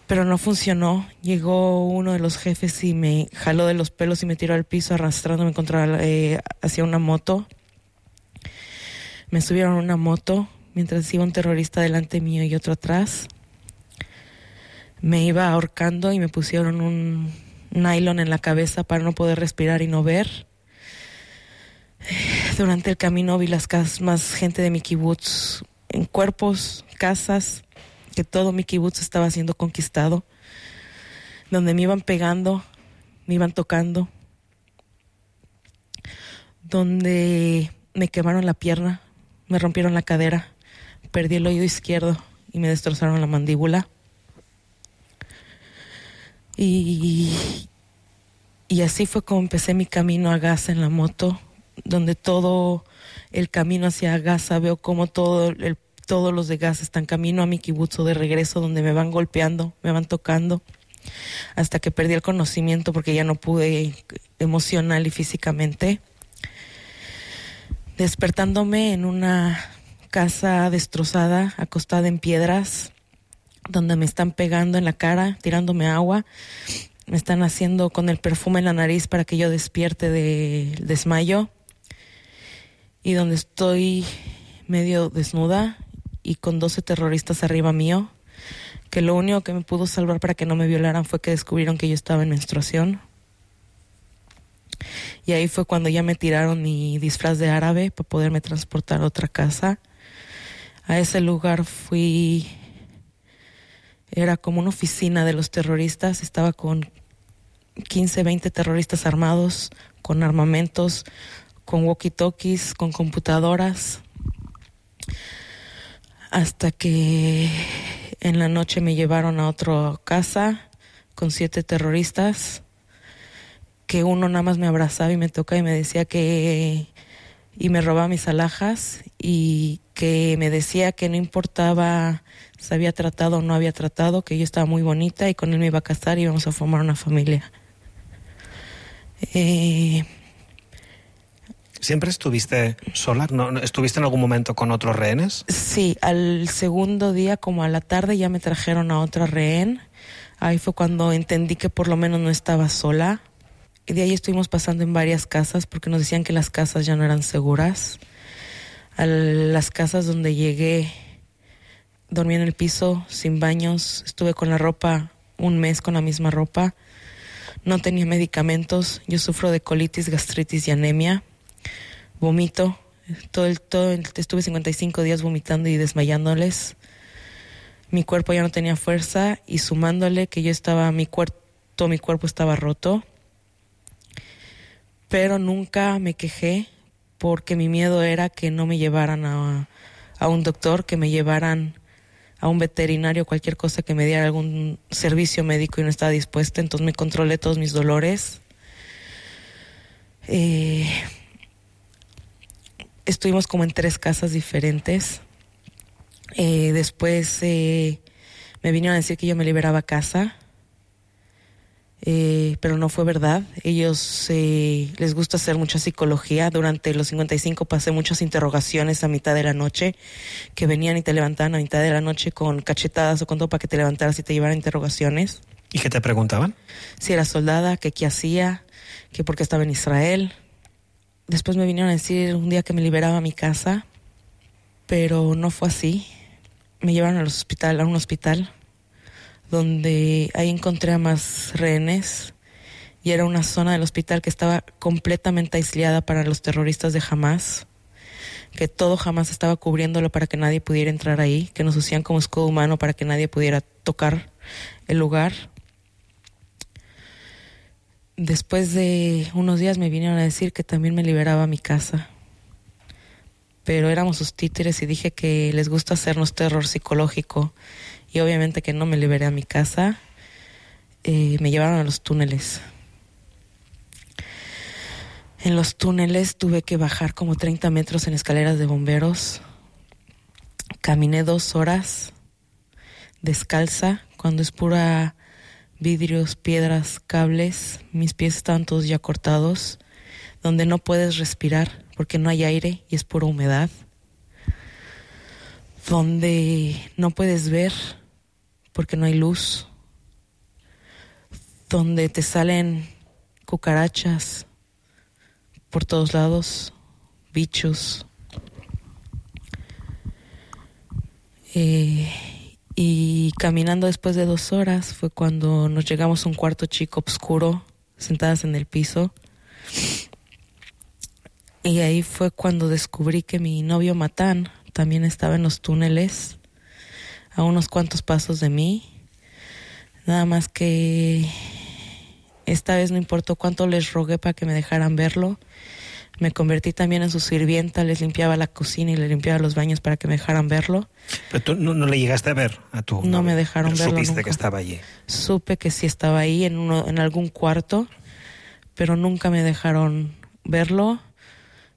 Pero no funcionó. Llegó uno de los jefes y me jaló de los pelos y me tiró al piso arrastrándome hacia una moto. Me subieron a una moto mientras iba un terrorista delante mío y otro atrás. Me iba ahorcando y me pusieron un nylon en la cabeza para no poder respirar y no ver. Durante el camino vi las casas, más gente de mi kibutz, en cuerpos, casas, que todo mi kibutz estaba siendo conquistado, donde me iban pegando, me iban tocando, donde me quemaron la pierna, me rompieron la cadera, perdí el oído izquierdo y me destrozaron la mandíbula. Y así fue como empecé mi camino a Gaza en la moto, donde todo el camino hacia Gaza veo como todos los de Gaza están camino a mi kibutz de regreso, donde me van golpeando, me van tocando, hasta que perdí el conocimiento porque ya no pude emocional y físicamente. Despertándome en una casa destrozada, acostada en piedras, donde me están pegando en la cara, tirándome agua, me están haciendo con el perfume en la nariz para que yo despierte del desmayo, y donde estoy medio desnuda y con 12 terroristas arriba mío, que lo único que me pudo salvar para que no me violaran fue que descubrieron que yo estaba en menstruación. Y ahí fue cuando ya me tiraron mi disfraz de árabe para poderme transportar a otra casa. A ese lugar fui, era como una oficina de los terroristas, estaba con 15, 20 terroristas armados, con armamentos, con walkie-talkies, con computadoras, hasta que en la noche me llevaron a otra casa con 7 terroristas, que uno nada más me abrazaba y me tocaba y me decía y me robaba mis alhajas, y que me decía que no importaba si había tratado o no había tratado, que yo estaba muy bonita y con él me iba a casar y íbamos a formar una familia. ¿Siempre estuviste sola? ¿No estuviste en algún momento con otros rehenes? Sí, al segundo día, como a la tarde, ya me trajeron a otra rehén. Ahí fue cuando entendí que por lo menos no estaba sola. Y de ahí estuvimos pasando en varias casas porque nos decían que las casas ya no eran seguras. A las casas donde llegué, dormí en el piso, sin baños, estuve con la ropa un mes con la misma ropa. No tenía medicamentos, yo sufro de colitis, gastritis y anemia. Vomito, estuve 55 días vomitando y desmayándoles. Mi cuerpo ya no tenía fuerza y sumándole que yo estaba, todo mi cuerpo estaba roto. Pero nunca me quejé porque mi miedo era que no me llevaran a un doctor, que me llevaran a un veterinario, cualquier cosa que me diera algún servicio médico, y no estaba dispuesta. Entonces me controlé todos mis dolores. Estuvimos como en 3 casas diferentes. Después me vinieron a decir que yo me liberaba a casa, pero no fue verdad. Ellos les gusta hacer mucha psicología. Durante los 55 pasé muchas interrogaciones a mitad de la noche, que venían y te levantaban a mitad de la noche con cachetadas o con todo para que te levantaras y te llevaran interrogaciones. ¿Y qué te preguntaban? Si era soldada, que qué hacía, que por qué estaba en Israel. Después me vinieron a decir un día que me liberaba a mi casa, pero no fue así. Me llevaron a un hospital, donde ahí encontré a más rehenes, y era una zona del hospital que estaba completamente aislada para los terroristas de Hamás, que todo Hamás estaba cubriéndolo para que nadie pudiera entrar ahí, que nos hacían como escudo humano para que nadie pudiera tocar el lugar. Después de unos días me vinieron a decir que también me liberaba a mi casa, pero éramos sus títeres y dije que les gusta hacernos terror psicológico. Y obviamente que no me liberé a mi casa. Me llevaron a los túneles. En los túneles tuve que bajar como 30 metros en escaleras de bomberos. Caminé 2 horas descalza, cuando es pura vidrios, piedras, cables. Mis pies estaban todos ya cortados, donde no puedes respirar porque no hay aire y es pura humedad. Donde no puedes ver porque no hay luz. Donde te salen cucarachas por todos lados, bichos. Y caminando después de 2 horas fue cuando nos llegamos a un cuarto chico oscuro, sentadas en el piso. Y ahí fue cuando descubrí que mi novio Matán también estaba en los túneles, a unos cuantos pasos de mí. Nada más que esta vez no importó cuánto les rogué para que me dejaran verlo. Me convertí también en su sirvienta, les limpiaba la cocina y les limpiaba los baños para que me dejaran verlo. Pero tú no le llegaste a ver a tu novio. No me dejaron verlo supiste nunca. Que estaba allí. Supe que sí estaba ahí en algún cuarto, pero nunca me dejaron verlo.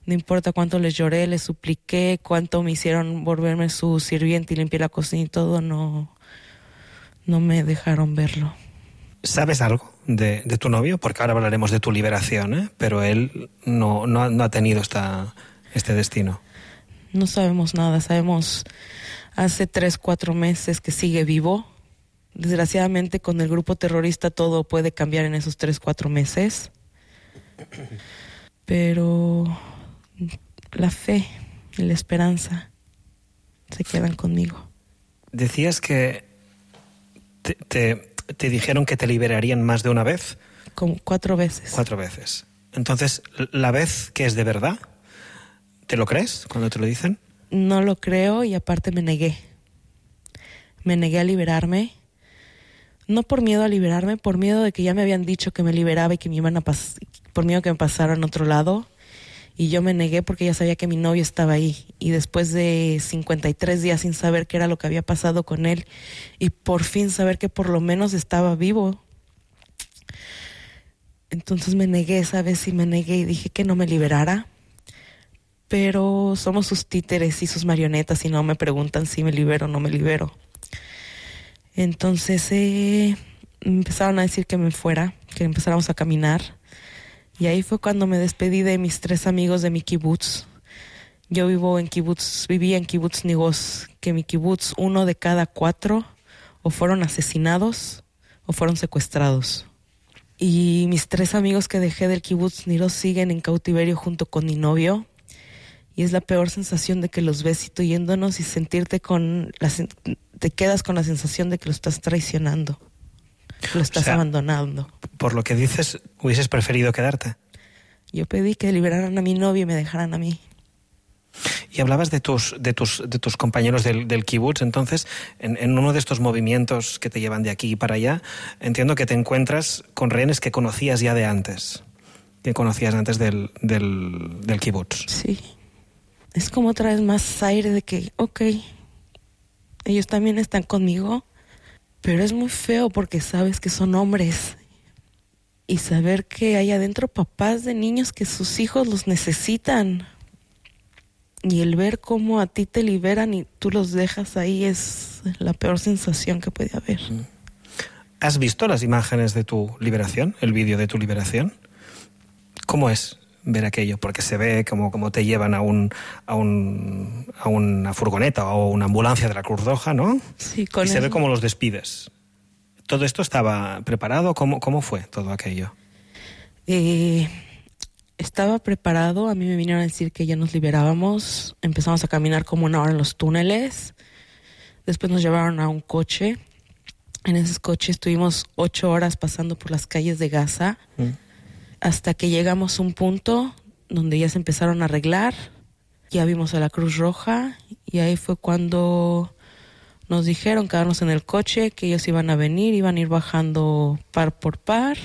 No importa cuánto les lloré, les supliqué, cuánto me hicieron volverme su sirvienta y limpiar la cocina y todo, no me dejaron verlo. ¿Sabes algo de tu novio? Porque ahora hablaremos de tu liberación, ¿eh? Pero él no ha tenido este destino. No sabemos nada, sabemos hace 3-4 meses que sigue vivo. Desgraciadamente con el grupo terrorista todo puede cambiar en esos 3-4 meses. Pero la fe y la esperanza se quedan conmigo. Decías que te dijeron que te liberarían más de una vez. Como 4 veces. 4 veces. Entonces, ¿la vez que es de verdad? ¿Te lo crees cuando te lo dicen? No lo creo y aparte me negué. Me negué a liberarme. No por miedo a liberarme, por miedo de que ya me habían dicho que me liberaba y que me iban a por miedo que me pasaran a otro lado. Y yo me negué porque ya sabía que mi novio estaba ahí. Y después de 53 días sin saber qué era lo que había pasado con él y por fin saber que por lo menos estaba vivo, entonces me negué, ¿sabes? Y me negué y dije que no me liberara. Pero somos sus títeres y sus marionetas y no me preguntan si me libero o no me libero. Entonces empezaron a decir que me fuera, que empezáramos a caminar. Y ahí fue cuando me despedí de mis 3 amigos de mi kibutz. Yo vivía en kibutz Nigoz, que mi kibutz 1 de cada 4 o fueron asesinados o fueron secuestrados. Y mis 3 amigos que dejé del kibutz Nigoz siguen en cautiverio junto con mi novio. Y es la peor sensación de que los ves yéndonos y sentirte te quedas con la sensación de que lo estás traicionando. Lo estás abandonando. Por lo que dices, ¿hubieses preferido quedarte? Yo pedí que liberaran a mi novio y me dejaran a mí. Y hablabas de tus compañeros del kibutz. Entonces, en uno de estos movimientos que te llevan de aquí para allá, entiendo que te encuentras con rehenes que conocías ya de antes. Que conocías antes del kibutz. Sí. Es como otra vez más aire de que, ok, ellos también están conmigo. Pero es muy feo porque sabes que son hombres y saber que hay adentro papás de niños que sus hijos los necesitan y el ver cómo a ti te liberan y tú los dejas ahí es la peor sensación que puede haber. ¿Has visto las imágenes de tu liberación, el vídeo de tu liberación? ¿Cómo es ver aquello? Porque se ve como te llevan a una furgoneta o una ambulancia de la Cruz Roja, ¿no? Sí, y se ve cómo los despides. ¿Todo esto estaba preparado? ¿Cómo fue todo aquello? Estaba preparado. A mí me vinieron a decir que ya nos liberábamos. Empezamos a caminar como 1 hora en los túneles. Después nos llevaron a un coche. En ese coche estuvimos 8 horas pasando por las calles de Gaza. Hasta que llegamos a un punto donde ya se empezaron a arreglar, ya vimos a la Cruz Roja y ahí fue cuando nos dijeron quedarnos en el coche, que ellos iban a venir, iban a ir bajando par por par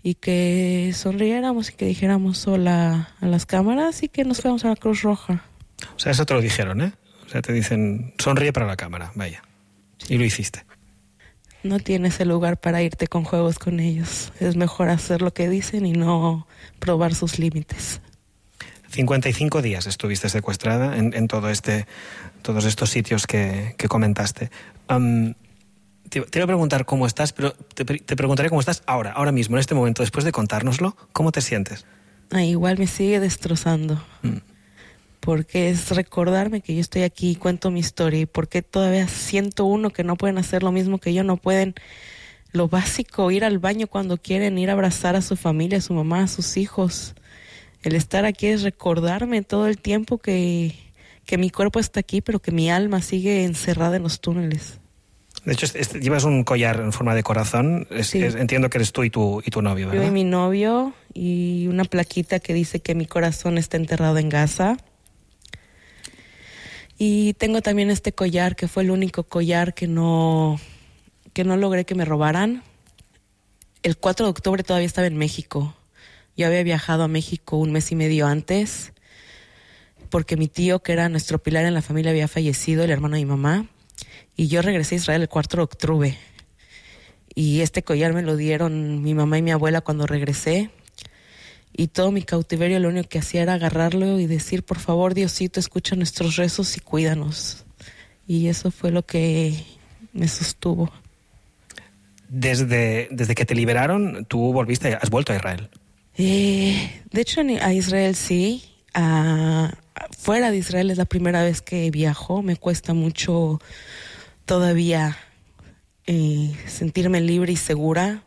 y que sonriéramos y que dijéramos hola a las cámaras y que nos fuéramos a la Cruz Roja. O sea, eso te lo dijeron, ¿eh? O sea, te dicen, sonríe para la cámara, vaya. Y lo hiciste. No tienes el lugar para irte con juegos con ellos. Es mejor hacer lo que dicen y no probar sus límites. 55 días estuviste secuestrada en todos estos sitios que comentaste. Te iba a preguntar cómo estás, pero te preguntaré cómo estás ahora mismo, en este momento, después de contárnoslo. ¿Cómo te sientes? Igual me sigue destrozando. Porque es recordarme que yo estoy aquí y cuento mi historia. Y porque todavía siento que no pueden hacer lo mismo que yo, no pueden lo básico, ir al baño cuando quieren, ir a abrazar a su familia, a su mamá, a sus hijos. El estar aquí es recordarme todo el tiempo que mi cuerpo está aquí, pero que mi alma sigue encerrada en los túneles. De hecho, llevas un collar en forma de corazón. Sí. Entiendo que eres tú y tu novio, ¿verdad? Yo y mi novio, y una plaquita que dice que mi corazón está enterrado en Gaza. Y tengo también este collar, que fue el único collar que no logré que me robaran. El 4 de octubre todavía estaba en México. Yo había viajado a México 1 mes y medio antes, porque mi tío, que era nuestro pilar en la familia, había fallecido, el hermano de mi mamá. Y yo regresé a Israel el 4 de octubre. Y este collar me lo dieron mi mamá y mi abuela cuando regresé. Y todo mi cautiverio lo único que hacía era agarrarlo y decir, por favor, Diosito, escucha nuestros rezos y cuídanos. Y eso fue lo que me sostuvo. Desde que te liberaron, tú has vuelto a Israel. De hecho, a Israel sí. Fuera de Israel es la primera vez que viajo. Me cuesta mucho todavía sentirme libre y segura.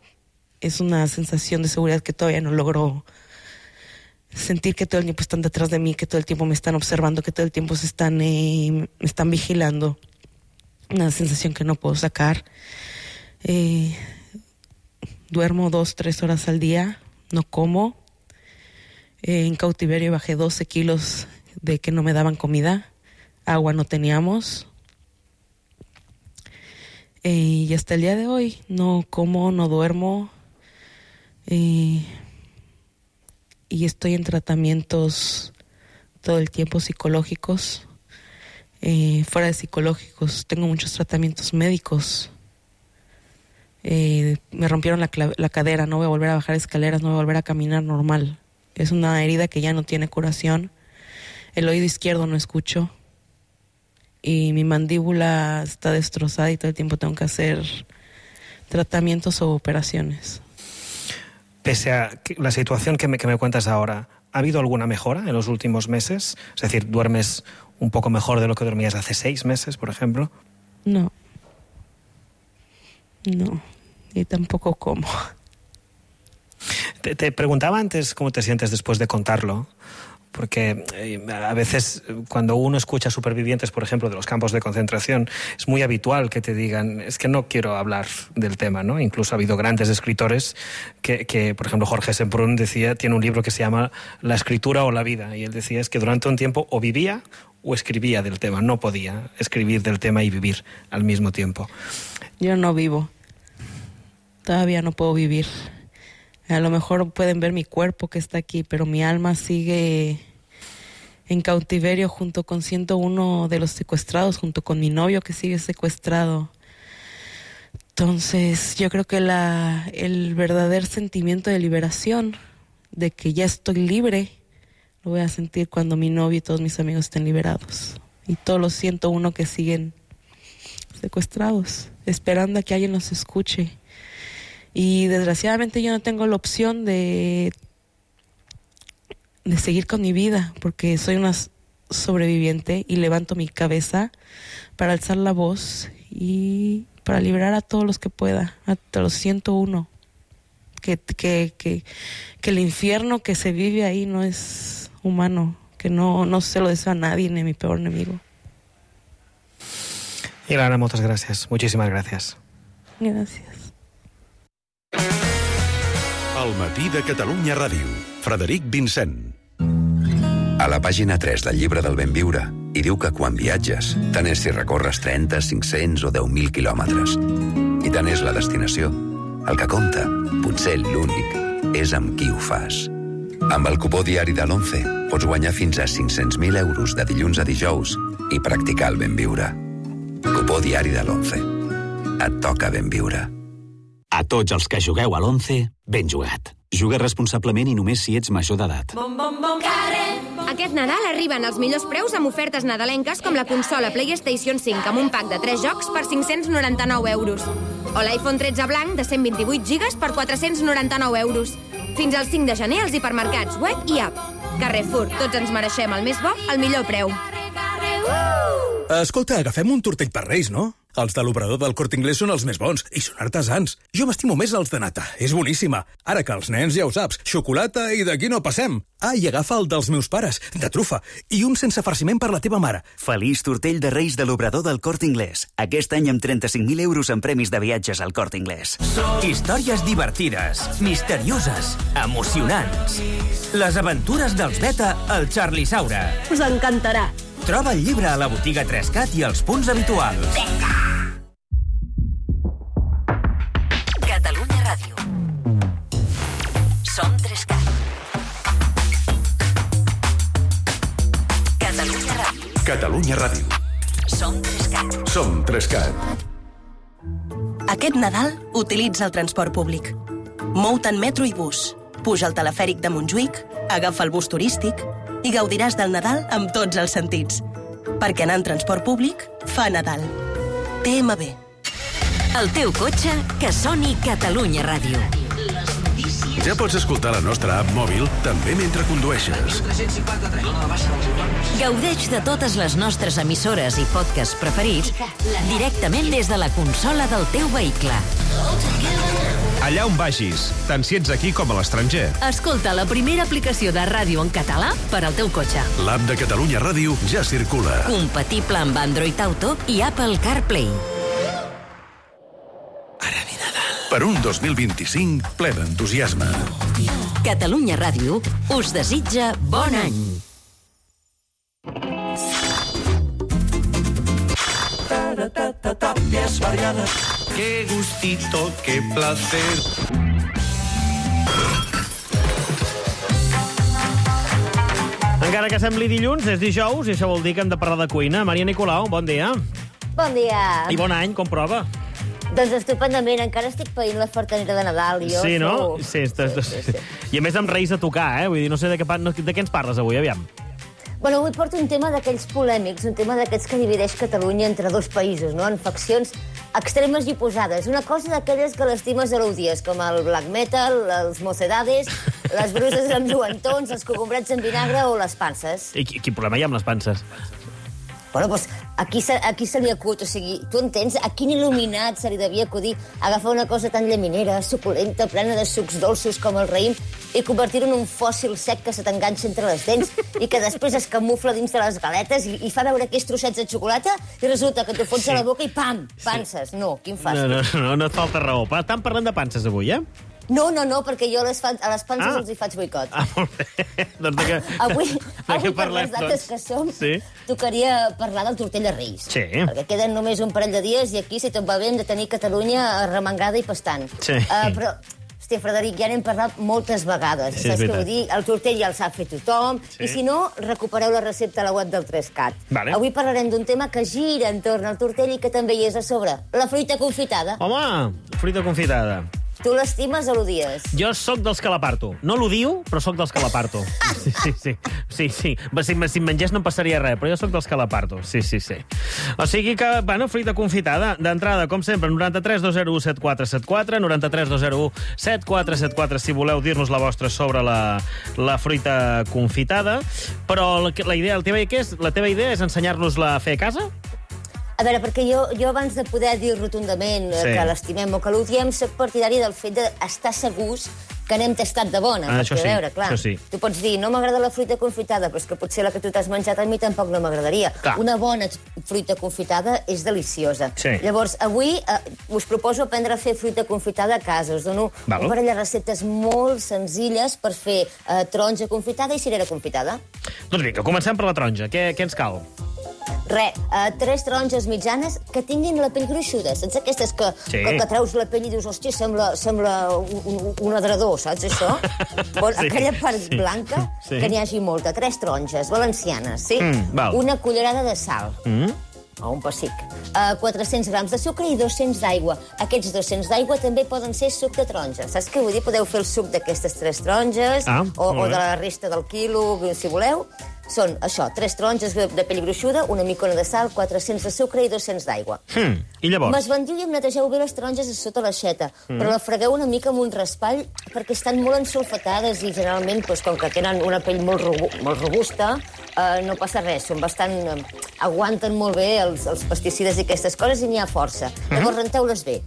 Es una sensación de seguridad que todavía no logro sentir, que todo el tiempo están detrás de mí, que todo el tiempo me están observando, que todo el tiempo me están vigilando. Una sensación que no puedo sacar. Duermo 2-3 horas al día, no como. En cautiverio bajé 12 kilos de que no me daban comida. Agua no teníamos. Y hasta el día de hoy no como, no duermo. Y estoy en tratamientos todo el tiempo psicológicos. Fuera de psicológicos, tengo muchos tratamientos médicos. Me rompieron la cadera, no voy a volver a bajar escaleras, no voy a volver a caminar normal. Es una herida que ya no tiene curación. El oído izquierdo no escucho. Y mi mandíbula está destrozada y todo el tiempo tengo que hacer tratamientos o operaciones. Pese a la situación que me cuentas ahora, ¿ha habido alguna mejora en los últimos meses? Es decir, ¿duermes un poco mejor de lo que dormías hace 6 meses, por ejemplo? No. Y tampoco como. Te preguntaba antes cómo te sientes después de contarlo, porque a veces cuando uno escucha supervivientes, por ejemplo, de los campos de concentración, es muy habitual que te digan, es que no quiero hablar del tema, ¿no? Incluso ha habido grandes escritores que por ejemplo, Jorge Semprún tiene un libro que se llama La escritura o la vida, y él decía es que durante un tiempo o vivía o escribía del tema, no podía escribir del tema y vivir al mismo tiempo. Yo no vivo. Todavía no puedo vivir. A lo mejor pueden ver mi cuerpo que está aquí, pero mi alma sigue en cautiverio junto con 101 de los secuestrados, junto con mi novio que sigue secuestrado. Entonces, yo creo que el verdadero sentimiento de liberación, de que ya estoy libre, lo voy a sentir cuando mi novio y todos mis amigos estén liberados. Y todos los 101 que siguen secuestrados, esperando a que alguien los escuche. Y desgraciadamente yo no tengo la opción de seguir con mi vida, porque soy una sobreviviente y levanto mi cabeza para alzar la voz y para liberar a todos los que pueda, a todos los 101. Que el infierno que se vive ahí no es humano, que no se lo deseo a nadie, ni a mi peor enemigo. Ilana, moltes gràcies. Muchísimas gracias. Gràcies. El matí de Catalunya Ràdio. Frederic Vincent. A la pàgina 3 del llibre del ben viure hi diu que quan viatges, tant és si recorres 30, 500 o 10.000 quilòmetres. I tant és la destinació. El que compta, potser l'únic, és amb qui ho fas. Amb el cupó diari de l'11 pots guanyar fins a 500.000 euros de dilluns a dijous i practicar el ben viure. Cupó diari de l'11. Et toca ben viure. A tots els que jugueu a l'11, ben jugat. Juga responsablement i només si ets major d'edat. Aquest Nadal arriben els millors preus amb ofertes nadalenques com la consola PlayStation 5 amb un pack de 3 jocs per 599 euros. O l'iPhone 13 blanc de 128 gigas per 499 euros. Fins al 5 de gener als hipermercats, web i app. Carrefour, tots ens mereixem el més bo, al millor preu. Escolta, agafem un tortell per Reis, no? Els de l'obrador del Corte Inglés són els més bons i són artesans. Jo m'estimo més els de nata, és boníssima. Ara que els nens ja ho saps, xocolata i d'aquí no passem. Ah, i agafa el dels meus pares, de trufa, i un sense farciment per la teva mare. Feliç tortell de Reis de l'obrador del Corte Inglés. Aquest any amb 35.000 euros en premis de viatges al Corte Inglés. Històries divertides, misterioses, emocionants. Les aventures dels Beta al Charlie Saura. Us encantarà. Troba el llibre a la botiga 3CAT i als punts habituals. Catalunya Ràdio. Som 3CAT. Catalunya Ràdio. Catalunya Ràdio. Som 3CAT. Som 3CAT. Aquest Nadal utilitza el transport públic. Mou-te en metro i bus. Puja al telefèric de Montjuïc, agafa el bus turístic i gaudiràs del Nadal amb tots els sentits. Perquè anar en transport públic fa Nadal. TMB. El teu cotxe, que soni Catalunya Ràdio. Ja pots escoltar la nostra app mòbil també mentre condueixes. Gaudeix de totes les nostres emissores i podcasts preferits directament des de la consola del teu vehicle. Allà on vagis, tant si ets aquí com a l'estranger. Escolta la primera aplicació de ràdio en català per al teu cotxe. L'app de Catalunya Ràdio ja circula. Compatible amb Android Auto i Apple CarPlay. Per un 2025 ple d'entusiasme. Catalunya Ràdio us desitja bon any. Tapias variadas. Qué gustito, qué placer. Encara que sembli dilluns, és dijous i això vol dir que hem de parlar de cuina. Maria Nicolau, bon dia. Bon dia. I bon any, com prova? Doncs estupendament, encara estic païnt la fartanera de Nadal. Jo sí, no? sou... Sí. I a més amb Reis a tocar, eh? Vull dir, no sé de què ens parles avui, aviam. Bueno, avui porto un tema d'aquells polèmics, un tema d'aquests que divideix Catalunya entre dos països, no? En faccions extremes i oposades. Una cosa d'aquelles que l'estimes o l'odies, com el black metal, els mocedades, les bruses amb lluentons, els cogombrets en vinagre o les panses. I quin problema hi ha amb les panses? Bueno, doncs aquí se li acut, o sigui, tu entens? A quin il·luminat se li devia acudir agafar una cosa tan llaminera, suculenta, plena de sucs dolços com el raïm i convertir-ho en un fòssil sec que se t'enganxa entre les dents i que després es camufla dins de les galetes i fa veure aquells trossets de xocolata i resulta que t'ho fots a la boca i pam, panses. No, quin fàstic. No et falta raó. Estan parlant de panses avui, eh? No, perquè jo a les panses els hi faig boicot. Molt bé. Doncs avui per les dates que som, tocaria parlar del tortell de Reis. Sí. Perquè queden només un parell de dies i aquí, si tot va bé, hem de tenir Catalunya remengada i pastant. Sí. Però, hòstia, Frederic, ja n'hem parlat moltes vegades. Sí, saps què vull dir? El tortell ja el sap fer tothom. Sí. I si no, recupereu la recepta a la web del 3CAT. Vale. Avui parlarem d'un tema que gira entorn al tortell i que també hi és a sobre. La fruita confitada. Home, fruita confitada. Tu l'estimes o l'odies? Jo sóc dels que l'aparto. No l'odio, però sóc dels que l'aparto. Sí. Si em mengés no em passaria res, però jo sóc dels que l'aparto. Sí. O sigui que, bueno, fruita confitada. D'entrada, com sempre, 93 201 7474, 93 201 7474, si voleu dir-nos la vostra sobre la fruita confitada. Però la teva idea és ensenyar-nos-la a fer a casa? A veure, perquè jo abans de poder dir rotundament que l'estimem o que l'odiem, soc partidari del fet d'estar segurs que n'hem tastat de bona. Això sí, a veure, clar, això sí. Tu pots dir, no m'agrada la fruita confitada, però és que potser la que tu t'has menjat a mi tampoc no m'agradaria. Una bona fruita confitada és deliciosa. Sí. Llavors, avui us proposo aprendre a fer fruita confitada a casa. Us dono un parell de receptes molt senzilles per fer taronja confitada i cirera confitada. Doncs vinga, comencem per la taronja. Què ens cal? 3 taronges mitjanes que tinguin la pell gruixuda. Saps aquestes que treus la pell i dius, hòstia, sembla un adredor, saps això? Aquella part blanca, que n'hi hagi molta. 3 taronges valencianes, sí? Una cullerada de sal. O un pessic. 400 grams de sucre i 200 d'aigua. Aquests 200 d'aigua també poden ser suc de taronja. Saps què vull dir? Podeu fer el suc d'aquestes 3 taronges o de la resta del quilo, si voleu. Són això, 3 taronges de pell gruixuda, una micona de sal, 400 de sucre i 200 d'aigua. I llavors? M'esbandiu i em netegeu bé les taronges a sota l'aixeta, però la fregueu una mica amb un raspall perquè estan molt ensolfatades i generalment, com que tenen una pell molt robusta, no passa res, són bastant... aguanten molt bé els pesticides i aquestes coses i n'hi ha força. Llavors renteu-les bé.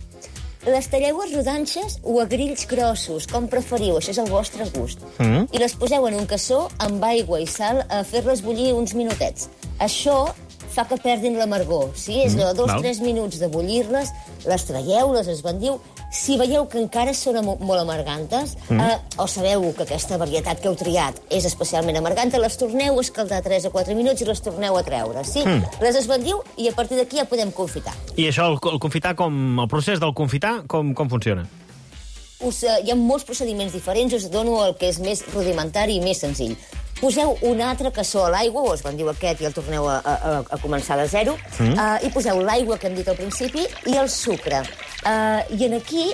Les talleu a rodanxes o a grills grossos, com preferiu, això és el vostre gust. I les poseu en un cassó amb aigua i sal a fer-les bullir uns minutets. Això fa que perdin l'amargor. Sí? És allò, 2-3 minuts de bullir-les, les traieu, les esbandiu. Si veieu que encara són molt amargantes, o sabeu que aquesta varietat que heu triat és especialment amarganta, les torneu a escaldar 3 o 4 minuts i les torneu a treure. Sí? Les esbandiu i a partir d'aquí ja podem confitar. I això, el confitar, el procés del confitar, com funciona? Hi ha molts procediments diferents, us dono el que és més rudimentari i més senzill. Poseu un altre cassó a l'aigua, o esbandiu aquest i el torneu a començar de zero, i poseu l'aigua que hem dit al principi i el sucre. I aquí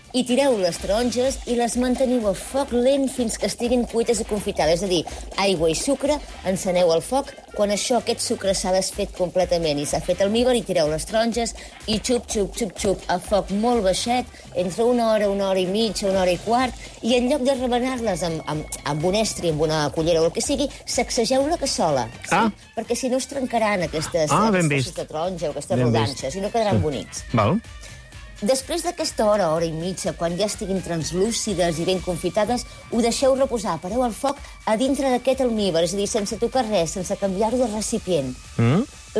hi tireu les taronges i les manteniu a foc lent fins que estiguin cuites i confitades. És a dir, aigua i sucre, enceneu el foc. Quan aquest sucre s'ha desfet completament i s'ha fet almíbar, hi tireu les taronges i xup, xup, xup, xup, a foc molt baixet, entre una hora i mitja, una hora i quart, i en lloc de remenar-les amb un estri, amb una cullera o el que sigui, sacsegeu la cassola. Perquè si no es trencaran aquestes fosses de taronja o aquestes rodanxes i no quedaran bonics. Després d'aquesta hora i mitja, quan ja estiguin translúcides i ben confitades, ho deixeu reposar, pareu el foc a dintre d'aquest almíbar, és a dir, sense tocar res, sense canviar-ho de recipient.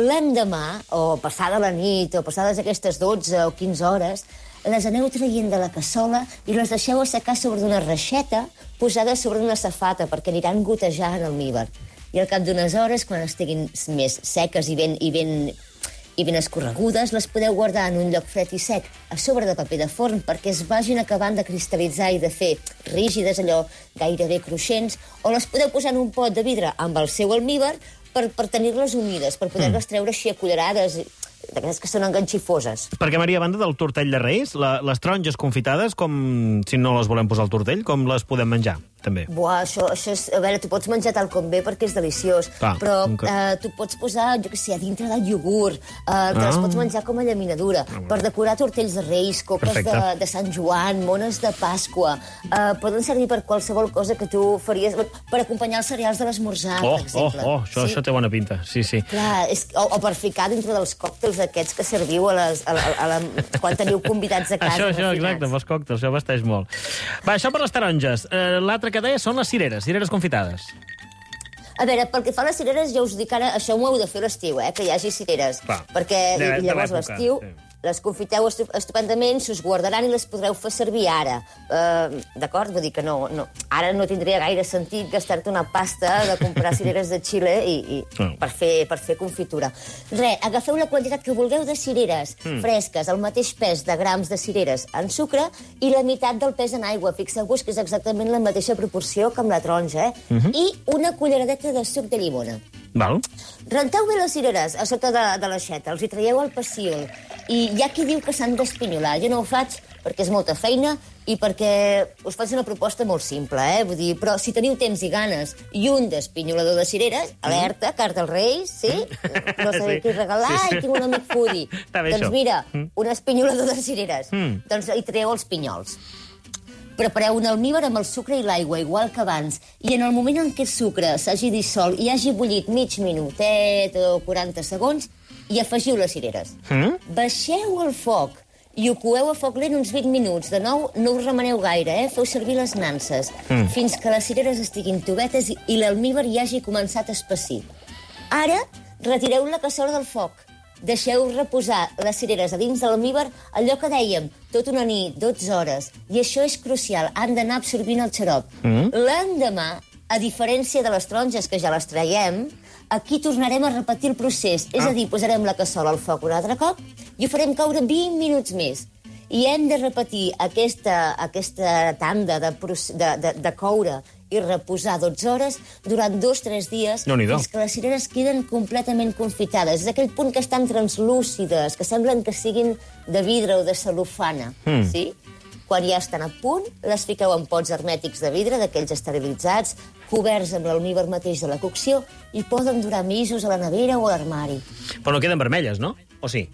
L'endemà, o passada la nit, o passades aquestes 12 o 15 hores, les aneu traient de la cassola i les deixeu assecar sobre una reixeta posada sobre una safata, perquè aniran gotejant almíbar. I al cap d'unes hores, quan estiguin més seques i ben escorregudes, les podeu guardar en un lloc fred i sec a sobre de paper de forn perquè es vagin acabant de cristal·litzar i de fer rígides, allò gairebé cruixents, o les podeu posar en un pot de vidre amb el seu almíbar per tenir-les humides, per poder-les treure així a cullerades, d'aquestes que són enganxifoses. Perquè, Maria, a banda del tortell de Reis, les taronges confitades, com si no les volem posar al tortell, com les podem menjar, també? Buah, això és... A veure, tu pots menjar tal com ve perquè és deliciós, però tu pots posar, jo què sé, a dintre del iogurt, te les pots menjar com a llaminadura, per decorar tortells de Reis, copes de Sant Joan, mones de Pasqua, poden servir per qualsevol cosa que tu faries, per acompanyar els cereals de l'esmorzar, per exemple. Això té bona pinta, sí. Clar, o per ficar dintre dels còctels aquests que serviu quan teniu convidats a casa. Això, exacte, amb els còctels, això vesteix molt. Va, això per les taronges. L'altre que deia són les cireres confitades. A veure, pel que fa a les cireres, ja us dic ara, això ho heu de fer a l'estiu, que hi hagi cireres. Perquè llavors a l'estiu les confiteu estupendament, s'us guardaran i les podreu fer servir ara. D'acord? Vull dir que no, ara no tindria gaire sentit gastar-te una pasta de comprar cireres de Xile per fer confitura. Agafeu la quantitat que vulgueu de cireres fresques, el mateix pes de grams de cireres en sucre i la meitat del pes en aigua. Fixeu-vos que és exactament la mateixa proporció que amb la taronja, i una culleradeta de suc de llimona. Renteu bé les cireres a sota de l'aixeta, els hi traieu el pecíol, i hi ha qui diu que s'han d'espinyolar. Jo no ho faig perquè és molta feina i perquè us faig una proposta molt simple, vull dir, però si teniu temps i ganes i un d'espinyolador de cireres, alerta, carta als Reis, sí? No sabeu què regalar i tinc un amic foodie. Doncs mira, un espinyolador de cireres. Doncs hi traieu els pinyols. Prepareu un almíbar amb el sucre i l'aigua, igual que abans, i en el moment en què el sucre s'hagi dissolt i hagi bullit mig minutet o 40 segons, i afegiu les cireres. Baixeu el foc i ho coeu a foc lent uns 20 minuts. De nou, no us remeneu gaire, feu servir les nanses, fins que les cireres estiguin tovetes i l'almíbar hi hagi començat a espessir. Ara, retireu la cassola del foc. Deixeu reposar les cireres a dins de l'almíbar allò que dèiem, tota una nit, 12 hores. I això és crucial, han d'anar absorbint el xarop. L'endemà, a diferència de les taronges, que ja les traiem, aquí tornarem a repetir el procés. És a dir, posarem la cassola al foc un altre cop i ho farem caure 20 minuts més. I hem de repetir aquesta tanda de coure i reposar 12 hores durant 2-3 dies fins que les cireres queden completament confitades. És aquell punt que estan translúcides, que semblen que siguin de vidre o de cel·lofana. Sí? Quan ja estan a punt, les fiqueu en pots hermètics de vidre, d'aquells esterilitzats, coberts amb l'almívar mateix de la cocció, i poden durar mesos a la nevera o a l'armari. Però no queden vermelles, no? O sí?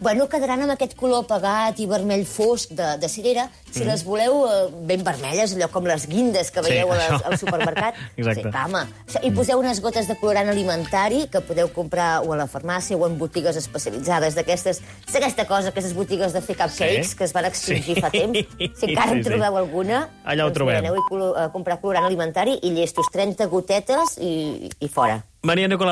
Bueno, quedaran amb aquest color apagat i vermell fosc de cirera. Si les voleu ben vermelles, allò com les guindes que veieu al supermercat. Exacte. I poseu unes gotes de colorant alimentari que podeu comprar o a la farmàcia o en botigues especialitzades d'aquestes... És aquesta cosa, aquestes botigues de fer cupcakes que es van extingir fa temps. Si encara en trobeu alguna, allà ho trobem. Aneu a comprar colorant alimentari i llestos 30 gotetes i fora. Maria Nicolau